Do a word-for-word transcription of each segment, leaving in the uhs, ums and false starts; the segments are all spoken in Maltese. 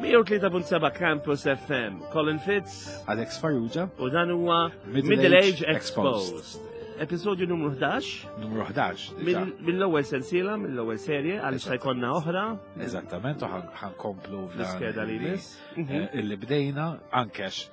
mija u tlieta punt seba' Campus F M, Colin Fitz. Alex Farrugia. U dan huwa Middle Middle Age Age Exposed. Episodju numru ħdax. Numru ħdax diġà. mill- mill-ewwel sensiela, mill-ewwel serje, għaliex ta' jkollna oħra. Eżattament, u ħa nkomplu fl-iskeda li jmiss. eh, Illi bdejna, ankex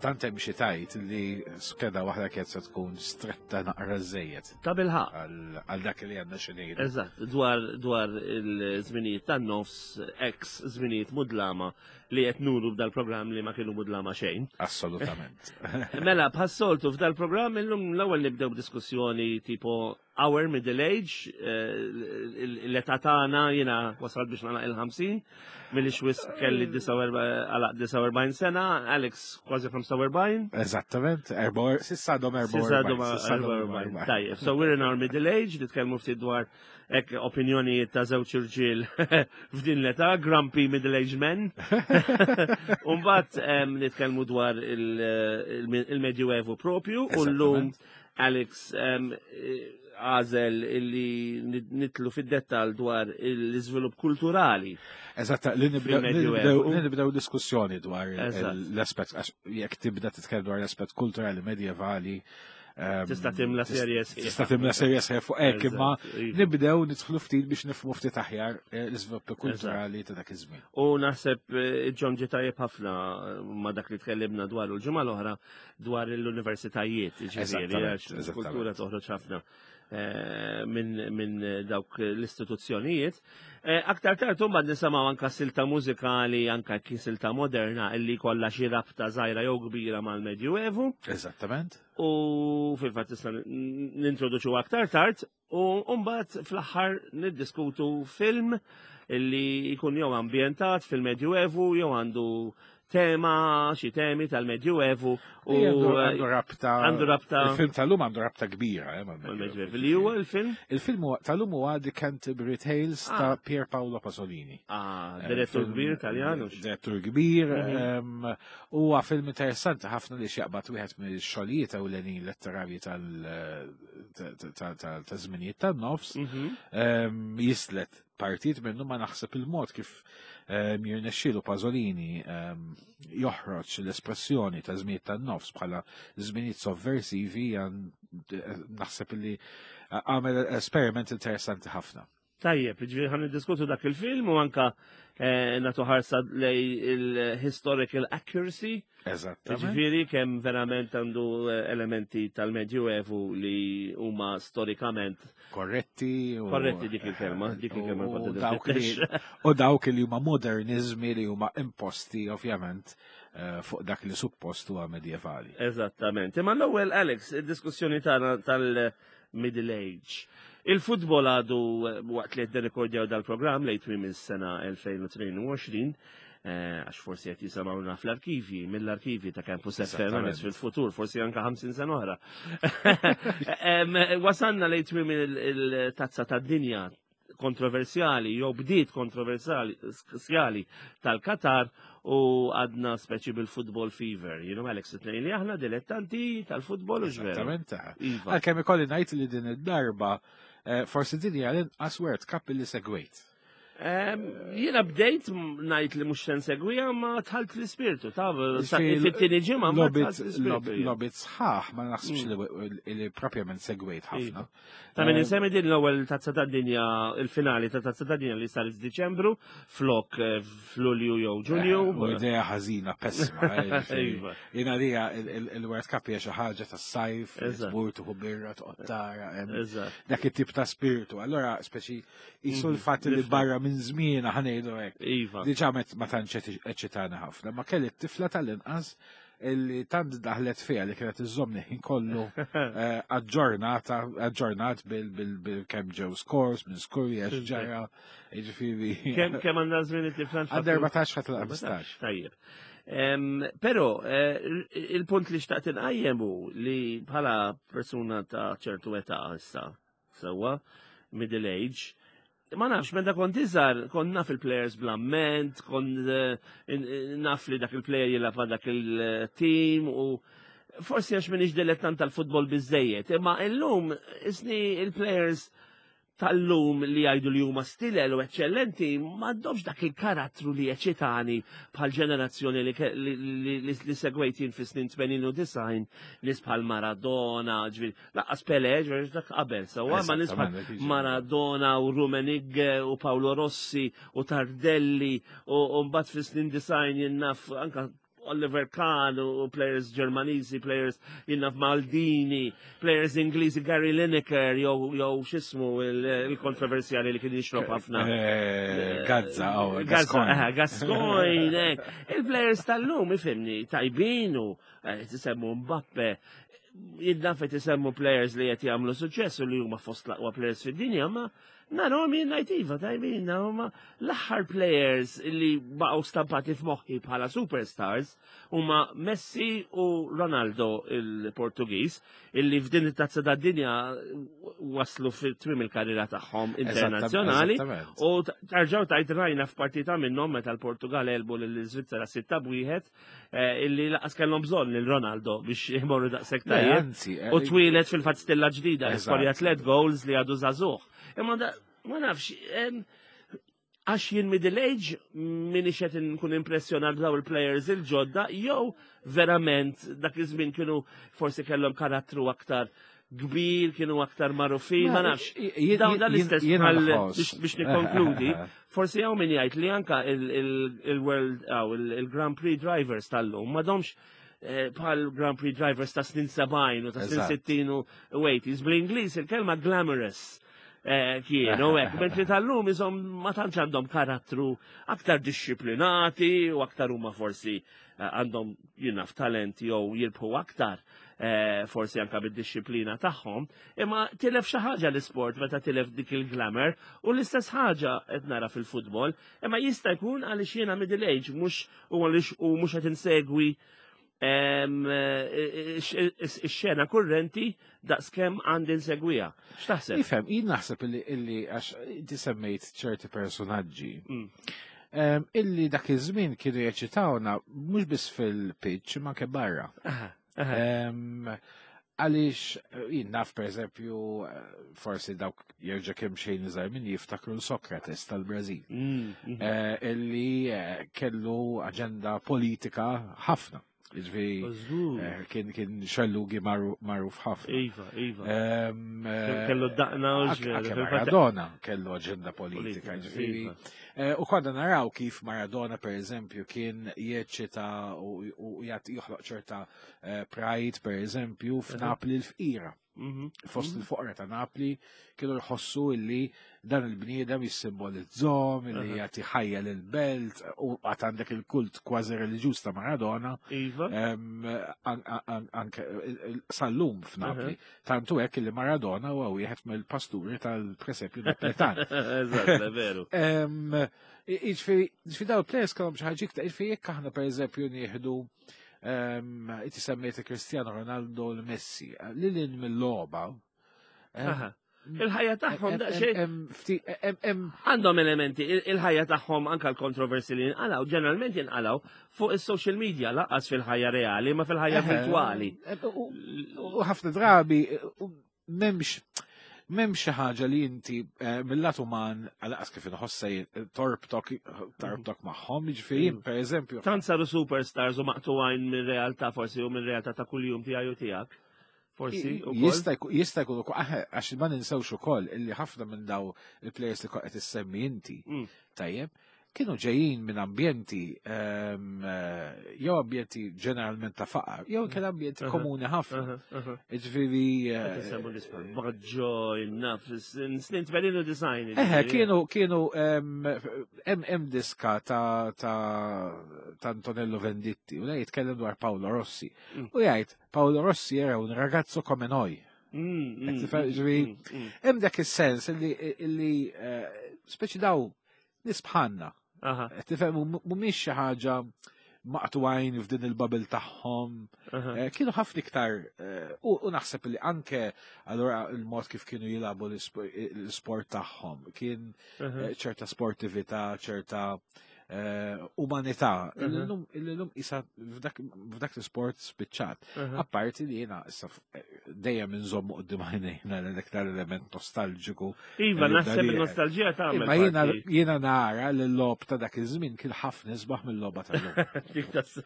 tant hemm xi tajt li skeda waħda kienet se tkun stretta naqra żejjed Ta' bilħaqq. għal għal dak li għandna xi ngħidu. Eżatt, dwar dwar il-żminijiet tan-nofs, ex żminijiet mudlama li qed nuru b'dal-programm li ma kienu mudlama xejn. Assolutament. Mela, bħas-soltu f'dal-programm illum l-ewwel nibdew b'diskussjoni tipo our middle age, eh, l-età tagħna. Jiena wasalt biex nagħlaq il-ħamsin, milli xwis kelli għalaq disgħa u erbgħin sena, Alex kważi ħamsa u erbgħin. Eżattament, erba' s'issa għadhom S'issa għadhom erbgħa u erbgħin. erbgħa u erbgħin. Tajjeb, so we're in our middle age, nitkellmu ftit dwar ek opinjonijiet ta' żewġ irġiel f'din l-età, grumpy middle-aged men. Umbagħad nitkellmu dwar il- il- il-Medjuevu propju, u llum Alex em, għażel illi nidħlu fid-dettal dwar l-iżvilupp kulturali. Eżatt, li nibdew fil-Medjuevu. li nibdew diskussjoni dwar Eżatt. l-aspett, għax jekk tibda titkellem dwar l-aspett kulturali medjevali, ehm, Tista' timla serje sħiħa. Tista' timla serje sħiħa fuq hekk, imma Eżatt, iva. nibdew nidħlu ftit biex nifhmu ftit aħjar eh, l-iżviluppi kulturali ta' dak iż-żmien. U naħseb eh, ġon ġi tajjeb ħafna eh, ma dak li tkellimna dwar l-ġimgħa l-oħra dwar l-universitajiet, ġifieri, Eżattament, għax il-kultura eżattament. toħroġ ħafna eh, minn min dawk l-istituzzjonijiet. Eh, Aktar tard imbagħad nisimgħu anka silta mużikali, anka ki silta moderna illi kollha xi rabta żgħira jew kbira mal-Medjuevu. Eżattament. U fil-fatt issa nintroduċu aktar tard u mbagħad fl-aħħar niddiskutu film illi jkun jew ambjentat fil-Medjuevu jew għandu tema, xi temi tal-Medjuevu u Għandu għandu rabta. Għandu rabta. Il-film tal-lum għandu rabta kbira. eh, mal-Medjuevu. Mal-Medjuevu. Li huwa il-film? Il-film huwa- tal-lum huwa The Canterbury Tales Ah. ta' Pier Paolo Pasolini. Ah, Eh, direttur film- kbir Taljan. Direttur kbir. Mhm. em, Huwa film interessanti ħafna li xjaqbad wieħed mill-xogħlijiet ewlenin letterarji tal- ta- ta- ta- ta' żminijiet tan-nofs. Mhm. Em, Jislet partit minnu, ma naħseb il-mod kif em, jirnexxielu Pasolini em, joħroġ l-espressjoni ta' żminijiet tan-nofs bħala żminijiet sovversivi għan- naħseb li għamel esperiment interessanti ħafna. Tajjeb, ġifieri ħa niddiskutu dak il-film u anka eh, nagħtu ħarsa lej il-historical accuracy. Eżattament. Ġifieri kemm verament għandu eh, elementi tal-Medjuevu li huma storikament Korretti. u- Korretti, dik il-kelma, dik il-kelma u kont dawk li u dawk li huma modernizmi li huma imposti ovvjament eh, fuq dak li suppost huwa medjevali. Eżattament. Imma l-ewwel, Alex, id-diskussjoni tagħna tal-Middle Age. Il-futbol għadu eh, waqt li qed nirrekordjaw dal-programm lejn tmiem is-sena elfejn u tnejn u għoxrin, eh, għax forsi qed jisimgħuna fl-arkivi, mill-arkivi ta' Campus F M Eżattament. Alex, fil-futur, forsi anka ħamsin sena oħra. Em, Wasanna lejn tmiem il-tazza tad-dinja kontroversjali, jew bdiet kontroversjali tal-Qatar u għadna speċi bil-football fever. You know, Alex, it-tnejn li aħna dilettanti tal-futbol, u ġveru. Eżattament. Iva. Għalkemm ikolli ngħid li din id-darba eh, forsi din hija l-inqas World Cup li segwejt. Em, Jiena bdejt ngħid li mhux se nsegwiha, ma dħalt fl-ispirtu, ta' Ġifieri, fit-tieni ġimgħa ma Logħbiet dħalt fl-ispirtu. jien. logħbiet sħaħ ma naħsibx li li propjament segwejt ħafna. Ta' min Eh, insemmi din l-ewwel tazza tad-dinja, il-finali ta' tazza tad-dinja li saret f'Diċembru, flok eh, f'Lulju jew Ġunju. Eh, U idea ħażina, pessima. eh, ġifieri. Iva. Jiena lija il-World Cup hija xi ħaġa tas-sajf, Eżatt. tmur tieħu birra, toqgħod tara, em, Eżatt. dak it-tip ta' spiritu. Allora, speċi, jisu Mhm, l-fatt li nifhem. barra minn żmien ħa ngħidu hekk. Iva. Diġà met ma tantx eċitana ħafna, ma kelli t-tifla tal-inqas illi tant daħlet fiha li kienet iżżomni ħin kollu eh, aġġornata, aġġornat bil-kem ġew scores, minn skurja, x'ġara, jiġifieri. Kemm kemm għandna żmien it-tifla? Għandha erbatax ħa ħmistax. Tajjeb. Em, Però eh, il-punt li xtaqt inqajjem hu li bħala persuna ta' ċertu età issa, sewwa, middle age, ma nafx, meta kont iżgħar, kont naf il-players bl-amment, kont eh, in- in- naf li dak il-player jilgħab ma' dak il-team u forsi għax minix dilettant tal-futbol biżejjed, imma illum isni il-players tal-lum li jgħidu li huma stilel u eccellenti m'għandhomx dak il-karattru li eċitani bħal ġenerazzjoni li, li, li, li, li segwejt jien fi snin tmenin u disgħin, nies bħal Maradona, ġifieri, lanqas Pele, ġifieri dak qabel, sewwa, ma nies bħal Eżattament, dik Maradona u Rummenigge u Paolo Rossi u Tardelli u u mbagħad fi snin disgħin jien naf anka Oliver Kahn u players Ġermaniżi, players jien naf Maldini, players Ingliżi, Gary Lineker, jew jew x'ismu il-kontroversjali li kien jixrob ħafna. Eh, Gazza, oh, Gazza, Gascoigne. eh, Gascoigne, eh. Il-players tal-lum, ifhimni, tajbin u eh, tisemmu Mbappe, jien naf tisemmu players li qed jagħmlu suċċess u li huma fost l-aqwa players fid-dinja, ma narahom jien ngħid iva tajbin, huma l-aħħar players li baqgħu stampati f'moħħi bħala superstars huma Messi u Ronaldo il-Portugiż, illi f'din it-tazza tad-dinja waslu fit-tmiem il-karriera tagħhom internazzjonali. Eżattament. U tarġaw tajt rajna f'partita minnhom meta l-Portugal għelbu lill-Iżvizzera sitta b'wieħed, eh, illi lanqas kellhom bżonn lil Ronaldo biex imorru daqshekk Le, tajjeb. anzi, eh, U twieled fil-fatt stilla ġdida, Eżatt. skorja tliet goals li għadu żagħżugħ. Imma da, ma nafx, em, għax jien middle age minix qed nkun impressjonat daw il-players il-ġodda, jew verament dak iż-żmien kienu forsi kellhom karattru aktar kbir, kienu aktar magħrufin, ma nafx. Dawn dan l-istess Jiena bħal- nħoss. biex biex nikkonkludi, forsi hawn min jgħid li anka il-World il-Grand Prix drivers tal-lum m'għadhomx eh, bħal Grand Prix drivers ta' snin sebgħin u ta' snin Eżatt. sittin u eighties. Bl-Ingliż il-kelma glamorous eh, kienu hekk, mentri tal-lum iżom ma tantx għandhom karattru, aktar disciplinati u aktar huma forsi eh, għandhom, jien naf, talent jew jirbħu aktar eh, forsi anka bid-disciplina tagħhom, imma tilef xi ħaġa l-isport meta tilef dik il-glamour u l-istess ħaġa qed nara fil-futbol, imma jista' jkun għaliex jiena middle age mhux u għaliex u mhux qed insegwi em, eh, ix-xena kurrenti daqskemm għandi nsegwiha. X'taħseb? Ifhem, jien naħseb illi illi għax inti semmejt ċerti personaġġi Mm. em, illi dak iż-żmien kienu jeċitawna mhux biss fil-pitch ma anke barra. Aha, aha. Em, Għaliex eh, jien naf, per eżempju, eh, forsi dawk jerġa' kemm xejn iżgħar minn jiftakru l-Socrates tal-Brażil. Mm, mhm. Eh, illi eh, kellu aġenda politika ħafna. Jiġifieri Żgur. eh, kien kien xellugi magħru- magħruf ħafna. Iva, iva. Em, eh, Kellu daqna u Anke ġveri, anke fil-fatt- Maradona kellu aġenda politika, Politika, ġifieri. iva. Eh, U konna naraw kif Maradona, per eżempju, kien jeċċita u u jagħti joħloq ċerta eh, pride, per eżempju, f'Napli l-fqira. Mhm. Fost il-foqra ta' Napli kienu jħossu illi dan il-bniedem jissimbolizzahom, illi Aha. jagħti ħajja lil-belt, u għad għandek il-kult kważi reliġjuż ta' Maradona, Iva. em, an- an- anke sal-lum f'Napli. Tantu hekk li Maradona huwa wieħed mill-pasturi tal-presepju Naplitan. Eżatt, veru. Em, Jiġifieri, jiġifieri daw il-players kellhom xi ħaġa iktar, jiġifieri jekk aħna, per eżempju, nieħdu em, inti semmejt Cristiano Ronaldo, l-Messi, lil hinn mill-logħba. em, Aha. Il-ħajja tagħhom em- daqsxejn em- em- fti- em- em- għandhom elementi, il- il-ħajja tagħhom, anka l-kontroversi li jinqalaw, ġeneralment jinqalaw fuq is-social media, lanqas fil-ħajja reali, ma fil-ħajja Eħe, virtuali. em, U u ħafna drabi u m'hemmx m'hemmx xi ħaġa li inti eh, mill-lat uman, għalqas kif inħossa jien, torbtok torbtok magħhom, jiġifieri jien, per eżempju, Tant saru superstars u maqtugħin minn realtà forsi u minn realtà ta' kuljum tiegħi u tiegħek. Forsi ukoll. Jista' jkun jista' jkun ukoll, aħe, għax ma ninsewx ukoll illi ħafna minn daw il-players li qed issemmi inti, Mm. tajjeb, kienu ġejjin minn ambjenti ehm, eh, jew ambjenti ġeneralment ta' faqar, jew kien ambjenti Aha. komuni ħafna. Aha, aha. Ġifieri Qed eh, insemmu l-isfel. Baggio, naf, snin tmenin u disgħin. Eħe, kienu, kienu, em, hemm hemm diska ta' ta' ta' Antonello Venditti, u lej jitkellem dwar Paolo Rossi. Mm. U jgħid, "Paolo Rossi era un ragazzo come noi." Mm, Qed tifhem, ġifieri, hemm dak is-sens illi, illi eh, speċi daw nies bħalna. Aha, Qed tifhem, mhumiex xi ħaġa maqtugħin f'din il-bubble tagħhom. aha. Eh, Kienu ħafna iktar eh, u u naħseb li anke allura il-mod kif kienu jilagħbu l-isp- l-sport tagħhom kien aha. eh, ċerta sportività, ċerta eh, umanità. Illum illum isa f'dak f'dak l-sport spiċċat. Apparti li jiena issa f- dejjem inżommu quddiem għajnejna l-iktar element nostalġiku. Iva, li naħseb dan- il-nostalġija tagħmel. Imma jiena parti. Jiena nara li l-logħob ta' dak iż-żmien kien ħafna isbaħ mill-logħba tal-lum. Dik tas-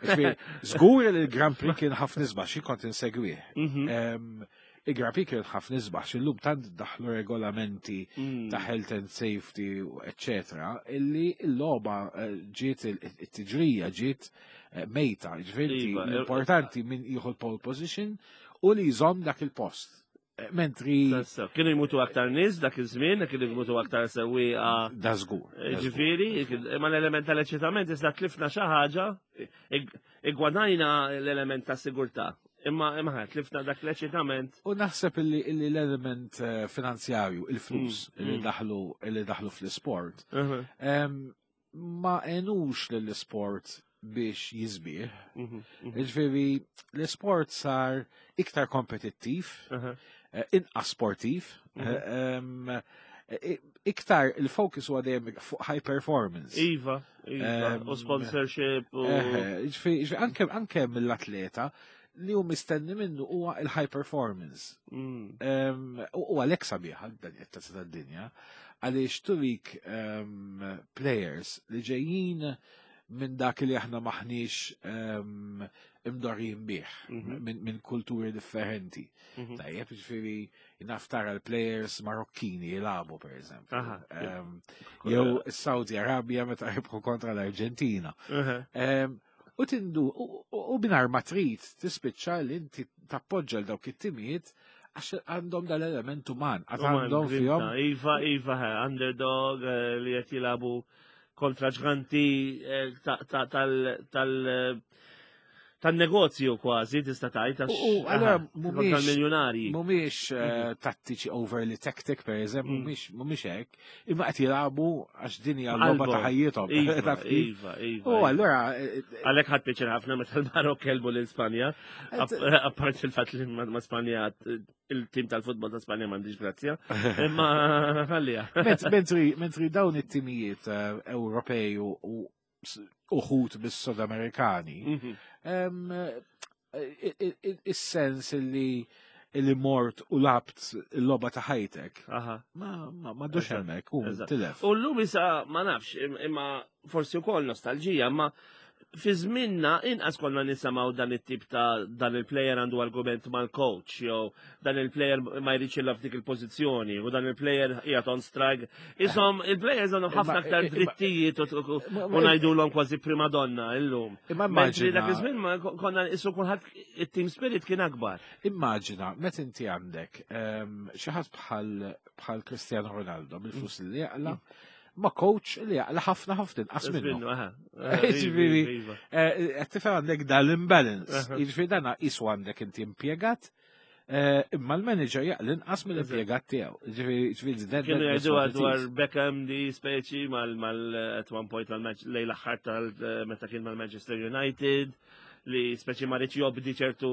Ġifieri, żgur li l-Grand Prix kien ħafna isbaħ, xi kont insegwih. Mhm. Em, Il-Grand Prix kien ħafna isbaħ, x'illum tant daħlu regolamenti Mm. ta' health and safety, eccetera, illi l-logħba eh, ġiet il- it-tiġrija ġiet eh, mejta, ġifieri Iva, l-importanti min jieħu l-pole position u li jżomm dak il-post. Eh, Mentri Tassew. Kienu jmutu aktar nies dak iż-żmien, kienu jmutu aktar sewwieqa. Da żgur. Da żgur. Ġifieri, ma l-element tal-eċitament issa tlifna xi ħaġa, ig- igwadajna l-element ta' sigurtà. Imma imma ħa, tlifna dak l-eċitament. U naħseb illi, illi l-element eh, finanzjarju, il-flus Mm, illi mm. daħlu illi daħlu fl-sport, em, ma għenux lill-sport biex jisbieħ. Mhm, mhm, Ġifieri, l-sport sar iktar kompetittiv, aha. eh, inqas sportiv, Mhm. eh, em, eh, iktar il-focus huwa dejjem fuq high performance. Iva, iva, Em, u sponsorship u. Eh, Ġifieri, ġifieri, anke anke mill-atleta li hu mistenni minnu huwa il-high performance. Mm, Em, U u għalhekk sabiħa dan it-tazza tad-dinja, għaliex turik em, players li ġejjin minn dak li aħna maħniex em, imdorrijin bih, Mhm. minn min kulturi differenti. mhm. Tajjeb, ġifieri, naf tara l-players Marokkini jilagħbu, per eżempju. Aha. Em, Jew Saudi Arabia meta rebħu kontra l-Arġentina. Aha. Em, U tindu, u- u u mingħajr ma trid tispiċċa li inti tappoġġa l dawk it-timijiet għax għandhom dal-element uman, għad Uman, għandhom grinta. fihom. Iva, iva, ha, underdog eh, li qed jilagħbu kontra ġganti eh, ta- ta- tal- tal- eh, tan-negozju kważi tista' tgħid għax U- u, allura aha, kontra mhumiex- l-miljonarji. Mhumiex eh, tattiċi overly tactic, per eżempju, Mm. mhumiex mhumiex hekk, imma qed jilagħbu għax din hija l-logħba ta' Qalbhom. ħajjithom. Iva, Taf kif? iva, iva. U iva. allura eh, Għalhekk ħadt pjaċir ħafna meta l-Marok għelbu lil Spanja, apart il-fatt li ma ma Spanja il-tim tal-futbol ta' Spanja m'għandix grazzja, imma ħallija. ment- Mentri mentri dawn it-timijiet eh, Ewropej u u s- uħut bis-Sud Amerikani, Mhm. em, eh, i- i- is-sens illi illi mort u lgħabt il-logħba ta' ħajtek, Aha. ma ma ma dux Eżatt, hemmhekk u eżatt. tilef. U llum issa ma nafx, im- imma forsi wkoll nostalġija, imma fi żminna inqas konna nisimgħu dan it-tip ta' dan il-player għandu argument mal-coach, jew dan il-player ma jridx jilgħab f'dik il-pożizzjoni, u dan il-player qiegħed on strike. Isom il-players għandhom ħafna Imma- aktar imma- drittijiet u- u Ma- u ngħidulhom kważi prima donna illum. Imma Mentri dak immaġina, iż-żmien ma konna issu kulħadd it-team spirit kien akbar. Immaġina, meta inti għandek em, xi ħadd bħal bħal Cristiano Ronaldo bil-flus li jaqla, ma coach li jaqla ħafna ħafna inqas minnu. Minnu, aha. Ġifieri, Iva, iva. Eh, Qed tifhem għandek dal-imbalance. Aha. Jiġifieri dana qisu għandek inti impjegat, eh, imma l-manager jaqla inqas mill-impjegat tiegħu. Ġifieri ġifieri that- Kienu that's jgħidu what it dwar is. Beckham di speċi mal mal at one point mal lejn l-aħħar tal meta kien mal-Manchester United li speċi ma riedx jobdi ċertu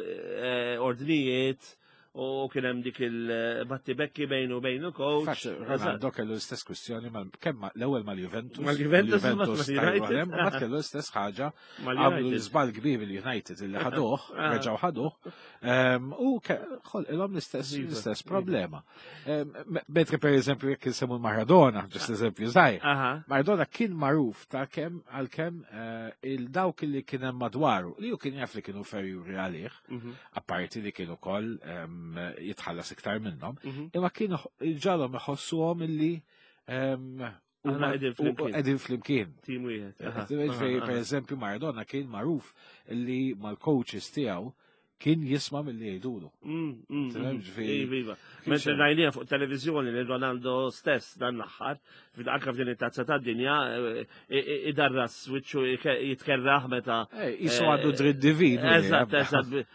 eh, ordnijiet u kien hemm dik il-battibekki bejnu bejnu coach. Fatt, Ronaldo kellu l-istess kwistjoni mal kemm ma- l-ewwel mal-Juventus. Mal-Juventus, Juventus mal-United. tajru għalhem, u mbagħad kellu l-istess ħaġa għamlu Mal-United. l-żball kbir il-United illi ħaduh, Ah. reġgħu ħaduh, em, u ke- ħolqilhom l-istess Iva, l-istess iva. problema. Em, me- Mentri per eżempju jekk insemmu Maradona, just eżempju żgħir. Aha. Maradona kien magħruf ta' kemm għal kemm eh, il-dawk li kien hemm madwaru, li hu kien jaf li kienu inferjuri għalih, Mhm, apparti li kienu koll em, jitħallas iktar minnhom, mhm. imma kienu ġalhom iħossuhom illi em, Aħna huma- qegħdin u- flimkien. qegħdin flimkien. Team wieħed. Aha, Ġifieri, aha, per aha. eżempju, Maradona kien magħruf li mal-coaches tiegħu kien jisma' milli jgħidulu. Mm, mm, Tifhem, mm. ġifieri- Iva, iva. Kien Mentre xejn. rajnija fuq televizjoni li Ronaldo stess dan l-aħħar, anka f'din it-tazza tad-dinja, eh, eh, idarras wiċċu jitkerraħ meta. Eh, Jisu għandu dritt divin. Eżatt, eżatt.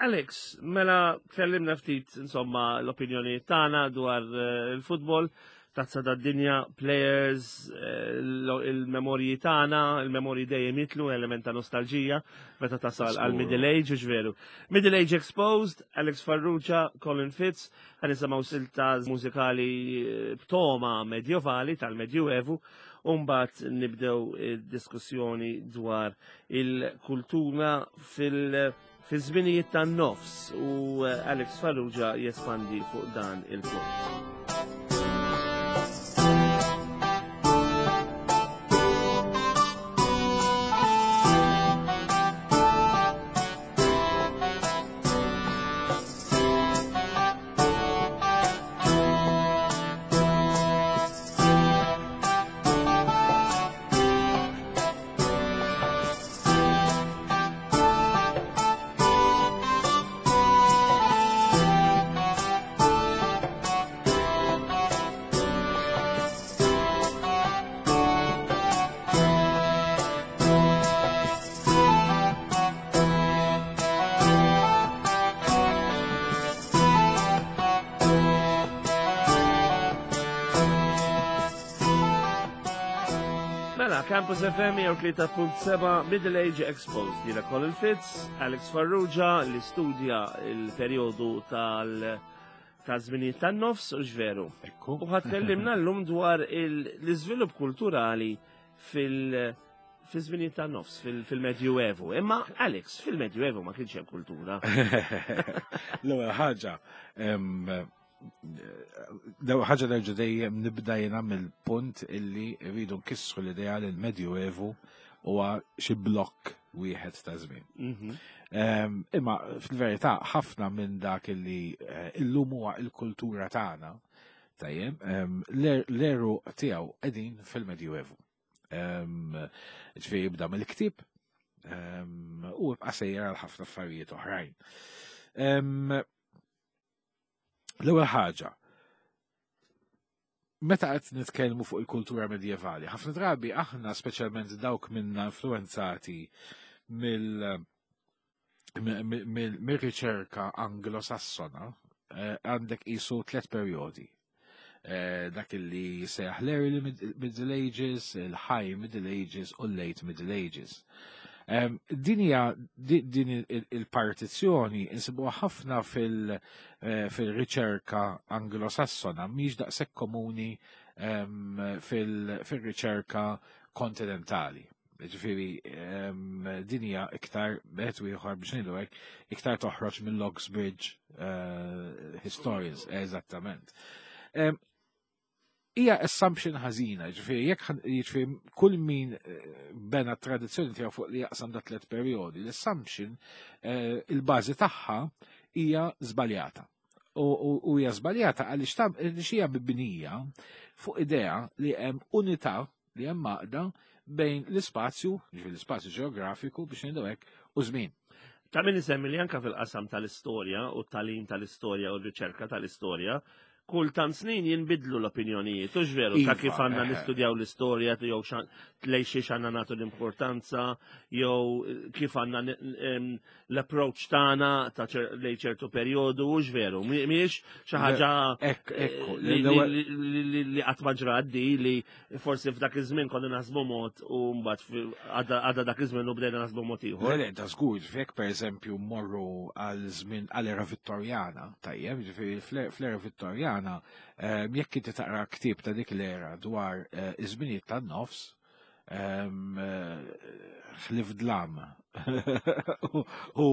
Alex, mela tkellimna ftit insomma l-opinjoni tagħna dwar eh, il-futbol. Tazza tad-Dinja, players, eh, il-memorji tagħna, il-memorji dejjem jitlu, element ta' nostalġija, meta tasal għal Middle Age, u veru. Middle Age Exposed, Alex Farrugia, Colin Fitz, ħa nisimgħu silta mużikali eh, b'toma medjovali tal-Medjuevu, u mbagħad nibdew diskussjoni dwar il-kultura fil- fi żminijiet tan-nofs u eh, Alex Farrugia jespandi fuq dan il-punt. Campus F M tlieta punt seba' Middle Age Exposed. Jiena Colin Fitz, Alex Farrugia li studja il-perjodu tal ta' żminijiet tan-nofs u x'veru. Ekku. U ħa tkellimna llum dwar l-iżvilupp kulturali fil- fi żminijiet tan-nofs, fil-Medjuevu. Imma Alex, fil-Medjuevu ma kienx hemm kultura. L-ewwel ħaġa, l-ewwel ħaġa nerġa' dejjem nibda jiena mill-punt illi rridu nkissru l-idea li l-Medjuevu huwa xi blokk wieħed ta' żmien. Imma fil-verità ħafna minn dak illi illum huwa l-kultura tagħna, tajjeb, l-eru tiegħu qegħdin fil-Medjuevu. Ġifieri jibda mill-ktieb u jibqa' sejjer għal ħafna affarijiet oħrajn. L-ewwel ħaġa, meta qed nitkellmu fuq il-kultura medjevali, ħafna drabi aħna speċjalment dawk minna influenzati mill-riċerka anglosassona, għandek qisu tliet perjodi. Dak li sejjaħ l-Early Middle Ages, il-High Middle Ages u l-Late Middle Ages. Din hija din il-partizzjoni insibuha ħafna fil-riċerka anglosassona, mhix daqshekk komuni fil-riċerka kontinentali. Ġifieri din hija iktar bħed ieħor biex ngħidu hekk, iktar toħroġ mill-Oxbridge historians, eżattament. Hija assumption ħażina, ġifieri jekk jiġifieri kull min bena tradizzjoni tiegħu fuq li jaqsam da tliet perjodi, l-assumption il-bażi tagħha hija żbaljata. U hija żbaljata għaliex hija mibnija fuq idea li hemm unità, li hemm għaqda bejn l-ispazju, ġifieri l-ispazju ġeografiku biex ngħidu hekk, u żmien. Ta' min isemmi li anke fil-qasam tal-istorja u t-tagħlim tal-istorja u r-riċerka tal-istorja, kull tant snin jinbidlu l-opinjonijiet, u veru, ta' kif għandna nistudjaw l-istorja, jew lejn xiex għandna nagħtu l-importanza, jew kif għandna l-approach tagħna ta' lejn ċertu perjodu, u veru, mhijiex xi ħaġa li qatt ma ġrat di, li forsi f'dak iż-żmien konna naħsbu mod u mbagħad għadha dak iż-żmien u bdejna naħsbu mod ieħor. Le, da żgur, ġifieri pereżempju mmorru għal żmien għall-era Vittorjana, tajjeb, ġifieri fl-era Vittorjana jekk inti taqra ktieb ta' dik l-era dwar iż-żminijiet tan-nofs, ħlif dlam u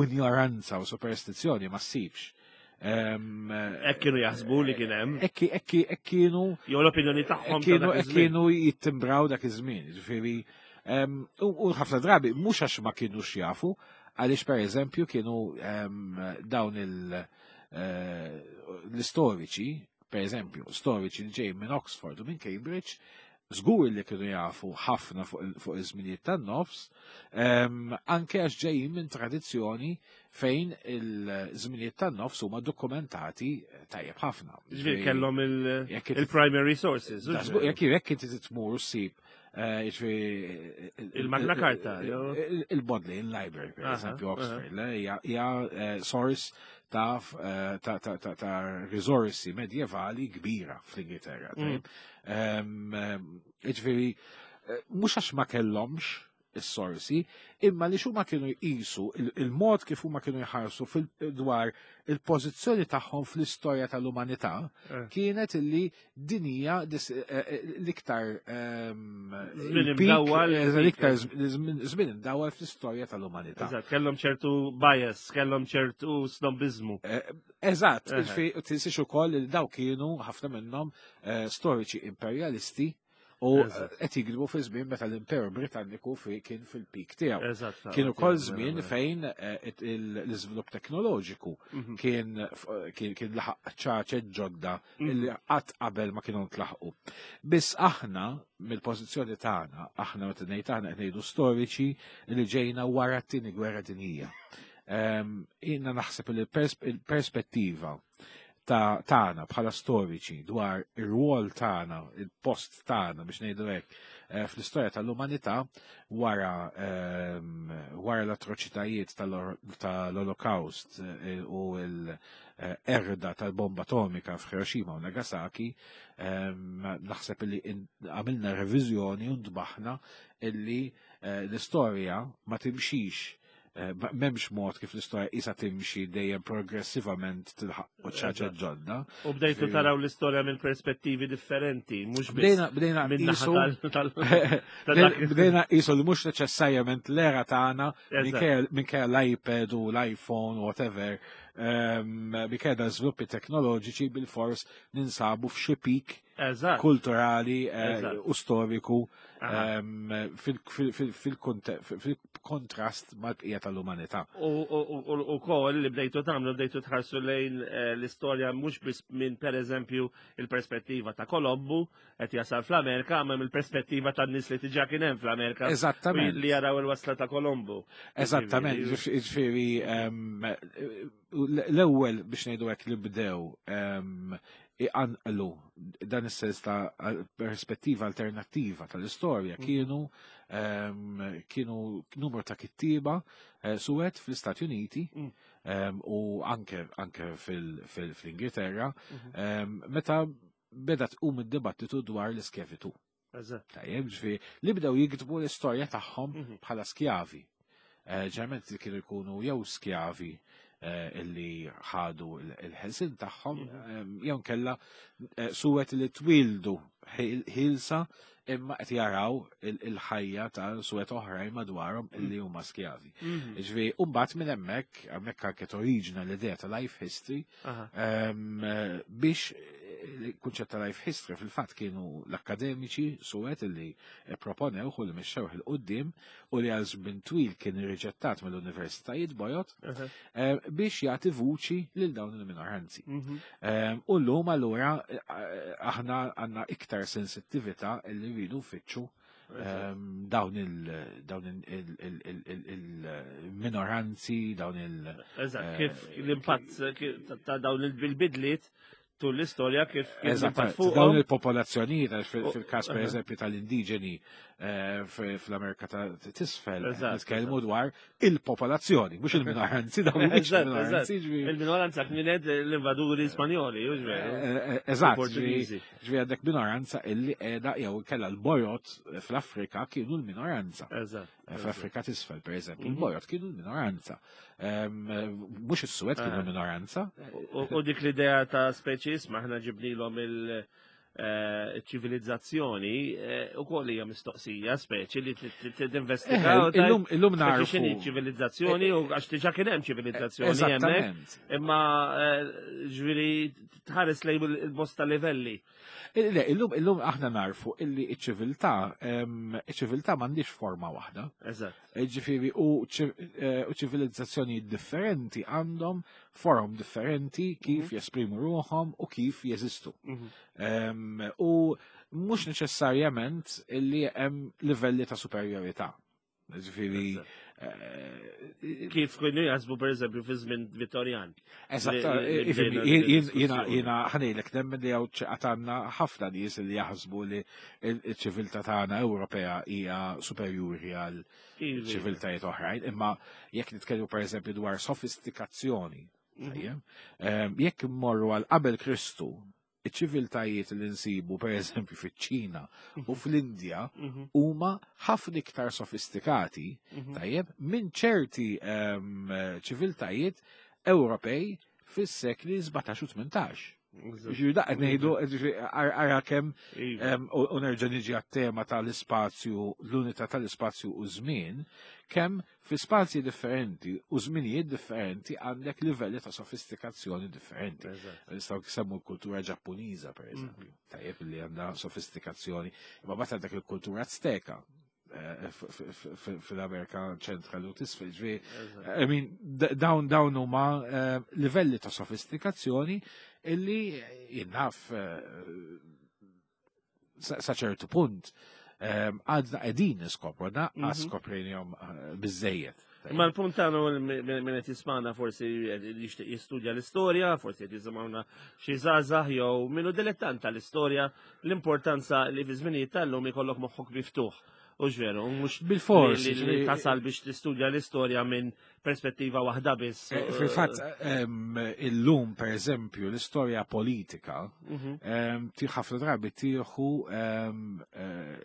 ignoranza u superstizzjoni ma ssibx. Hekk kienu jaħsbu li kien hemm. Hekk kienu jew l-opinjoni tagħhom hekk kienu jittimbraw dak iż-żmien, ġifieri u ħafna drabi mhux għax ma kinux jafu, għaliex pereżempju kienu dawn il- l-istoriċi, per eżempju, storiċi li ġej minn Oxford u minn Cambridge, żgur li kienu jafu ħafna fuq iż-żminijiet tan-nofs, anke għax ġejjin minn tradizzjoni fejn il-żminijiet tan-nofs huma dokumentati tajjeb ħafna. Ġifieri kellhom il- Jekk inti- il-primary sources. Da, żgur, Jekk jekk inti tmur ssib eh, jiġifieri, Il-Magna Carta, jew? il- il-Bodleian Library, per Aha, eżempju, Oxford, le, hija hija, eh, source ta' f- eh, ta' ta' ta' ta' risorsi medjevali kbira fl-Ingilterra. Mm. tajjeb. Em, em, Jiġifieri, eh, mhux għax ma kellhomx is-sorsi, imma li xuma kienu jqisu il- il-mod kif huma kienu jħarsu fil- dwar il-pożizzjoni tagħhom fl-istorja tal-umanità Eh. kienet illi din hija dis- eh, eh, l-iktar ehm, Żmien il-peak, imdawwal, eh, il-peak, l-iktar żmien żmien imdawwal fl-istorja tal-umanità. Eżatt, kellhom ċertu bias, kellhom ċertu snobizmu. Eh, Eżatt, Eħe. ġifieri, tinsiex ukoll li daw kienu ħafna minnhom eh, storiċi imperjalisti u Eżatt. qed jikdbu fi żmien meta l-Imperu Britanniku fi kien fil-peak tiegħu. Eżatt. Kien ukoll żmien fejn eh, it- il- l-iżvilupp teknoloġiku Mhm. kien f- kien kien laħaq ċaċet ġodda Mhm. illi qatt qabel ma kienu ntlaħqu. Biss aħna mill-pożizzjoni tagħna, aħna meta ngħid aħna qed ngħidu storiċi li ġejna wara t-tieni gwerra dinjija. Ehm, Jiena naħseb li l-pers- il-perspettiva ta' tagħna bħala storiċi dwar ir-rwol tagħna, il-post tagħna biex ngħidu hekk eh, fl-istorja tal-umanità wara ehm, wara l-atroċitajiet tal- tal-Holocaust eh, u l-erda tal-bomba atomika f'Hiroshima u Nagasaki, ehm, naħseb li in- għamilna reviżjoni u ntbaħna illi eh, l-istorja ma timxix eh, ma- m'hemmx mod kif l-istorja isa timxi dejjem progressivament tilħaq quċċata Eżatt. ġodda. U bdejtu Ġifieri- taraw l-istorja minn perspettivi differenti, mhux biss Bdejna bdejna minn naħa qisu tal- tal- ta' dak- bdejna qisu li mhux neċessarjament l-era tagħna Eżatt. minkejja minkejja l-iPad u l-iPhone u whatever, ehm, minkejja da żviluppi teknoloġiċi bil-fors ninsabu f'xi peak Eżatt. kulturali eh, Eżatt. u storiku Aha. ehm, fil- fil- fil- fil-konte- fil-kontrast mal-bqija tal-umanità. U u- u- u kol li bdejtu tagħmlu bdejtu tħarsu lejn eh, l-istorja mhux biss minn pereżempju il-perspettiva ta' Kolombu qed jasal fl-Amerika, ma mill-perspettiva tan-nies li diġà kien hemm fl-Amerika Eżattament. li jaraw il-wasla ta' Kolombu. Eżattament, Ġifieri, ġifieri ehm, l-ewwel biex ngħidu hekk li bdew ehm, iqanqlu dan is-sens ta' perspettiva alternattiva tal-istorja Mhm. kienu ehm, kienu numru ta' kittiba eh, suwed fl-Istati Uniti Mm. ehm, u anke anke fil- fil- fl-Ingilterra Mhm. ehm, meta beda tqum id-dibattitu dwar l-iskjavitu. Eżatt. Tajjeb, ġifieri li bdew jiktbu l-istorja tagħhom Mhm. bħala skjavi. Eh, Ġeneralment kienu jkunu jew skjavi eh, illi ħadu il- il-ħelsin tagħhom, Mhm. eh, jew kella eh, suwed li twildu ħil- ħilsa imma qed jaraw il- il-ħajja ta' suwed oħrajn madwarhom illi huma skjavi. Mhm. Ġifieri, u mbagħad minn hemmhekk, hemmhekk anke toriġina l-idea ta' life history, Aha. Ehm, eh, biex il-kunċett ta' life history fil-fatt kienu l-akademiċi suwed li proponew u li mexxewh 'il quddiem u li għal żmien twil kien irriġettat mill-universitajiet bojod Aha. eh, biex jagħti vuċi lil dawn il-minoranzi. Mhm. Ehm, U llum allura eh, aħna għandna iktar sensittività li rridu nfittxu ehm, dawn il dawn il- il- il- il- il-minoranzi, dawn il- Eżatt, eh, kif l-impatt kif- ta' ta' dawn il-bidliet tul l-istorja kif kien l-impatt Eżatt, dawn fuqhom. il-popolazzjonijiet, għax fil- U- fil-każ per aha. eżempju tal-indiġeni eh, f- fl-Amerika ta' tisfel, Eżatt, nitkellmu dwar il-popolazzjoni, mhux il-minoranzi, dawn mhumiex Eżatt, il-minoranzi, eżatt. ġifieri- Il-minoranza kienet l-invaduri Spanjoli, hux veru? Eh, eh, Eżatt, ġifieri Il-Portugiżi. ġifieri għandek minoranza illi qiegħda jew kellha l-bojod fl-Afrika kienu l-minoranza. Eżatt. Eh, Fl-Afrika tisfel, per eżempju, Mhm. il-bojod kienu l-minoranza. Ehm, eh, Mhux is-Suwed kienu Ah. l-minoranza. U u dik l-idea ta' speċis maħna ġibnilhom il-ċivilizzazzjoni u koll hija mistoqsija speċi li tinvestiga. Eh, Illum illum Speċi x'inhi narfu. ċivilizzazzjoni u għax diġà kien hemm ċivilizzazzjoni hemmhekk. Eżattament. Imma eh, ġifieri tħares lejn il-bosta livelli. Eh, Le, illum illum aħna narfu illi iċ-ċiviltà ehm, iċ-ċiviltà m'għandix forma waħda. Eżatt. Eh, Ġifieri u ċi- eh, u ċivilizzazzjoni differenti għandhom forom differenti kif jesprimu ruħhom u kif jeżistu. Mhm. Ehm, U mhux neċessarjament illi hemm livelli ta' superjorità. Ġifieri eh, Kif kienu jaħsbu, per eżempju, fi żmien Vittorjan. Eżatt, Li- li- li ifhimni, bdejna din jien- jiena id-diskussjoni. jiena ħa ngħidlek nemmen li hawn għandna ħafna nies li jaħsbu li il-ċiviltà tagħna Ewropea hija superjuri għal Iva. ċiviltajiet oħrajn, imma jekk nitkellmu, pereżempju, dwar sofistikazzjoni, Mhm. tajjeb, em, jekk immorru għal qabel Kristu, iċ-ċiviltajiet li nsibu, pereżempju, fiċ-Ċina u fl-Indja Mhm. huma ħafna iktar sofistikati, Mhm. tajjeb, minn ċerti em, ċiviltajiet Ewropej fis-sekli sbatax u tmintax. Ġifieri da qed ngħidu, ġifieri, ara kemm Iva. em, u u nerġa' niġi għat-tema tal-ispazju, l-unità tal-ispazju u żmien, kemm fi spazji differenti u żminijiet differenti għandek livelli ta' sofistikazzjoni differenti. Eżatt. Nistgħu nsemmu l-kultura Ġappuniża, per eżempju, tajjeb, li għandha sofistikazzjoni, imma mbagħad għandek il-kultura Azteka eh, f- f- f- fil-Amerika Ċentrali u t'isfel, ġifieri, Eżatt. I mean, d- dawn dawn huma eh, livelli ta' sofistikazzjoni illi jien naf eh, sa sa ċertu punt eh, għadna qegħdin niskopru, Mhm. naqqas skoprejnihom eh, biżejjed. Ma l-punt tagħna, minn qed jismana forsi jixtieq jistudja l-istorja, forsi qed jisimgħuna xi żgħażagħ jew minnu dilettant tal-istorja, l-importanza li fi żminijiet tal-lum ikollok moħħok miftuħ. U ġveru, mhux Bil-fors, li- li ġifieri- tasal biex tistudja l-istorja minn perspettiva waħda biss. Eh, Fil-fatt, em, illum, per eżempju, l-istorja politika Mhm. em, ti ħafna drabi tieħu em, eh,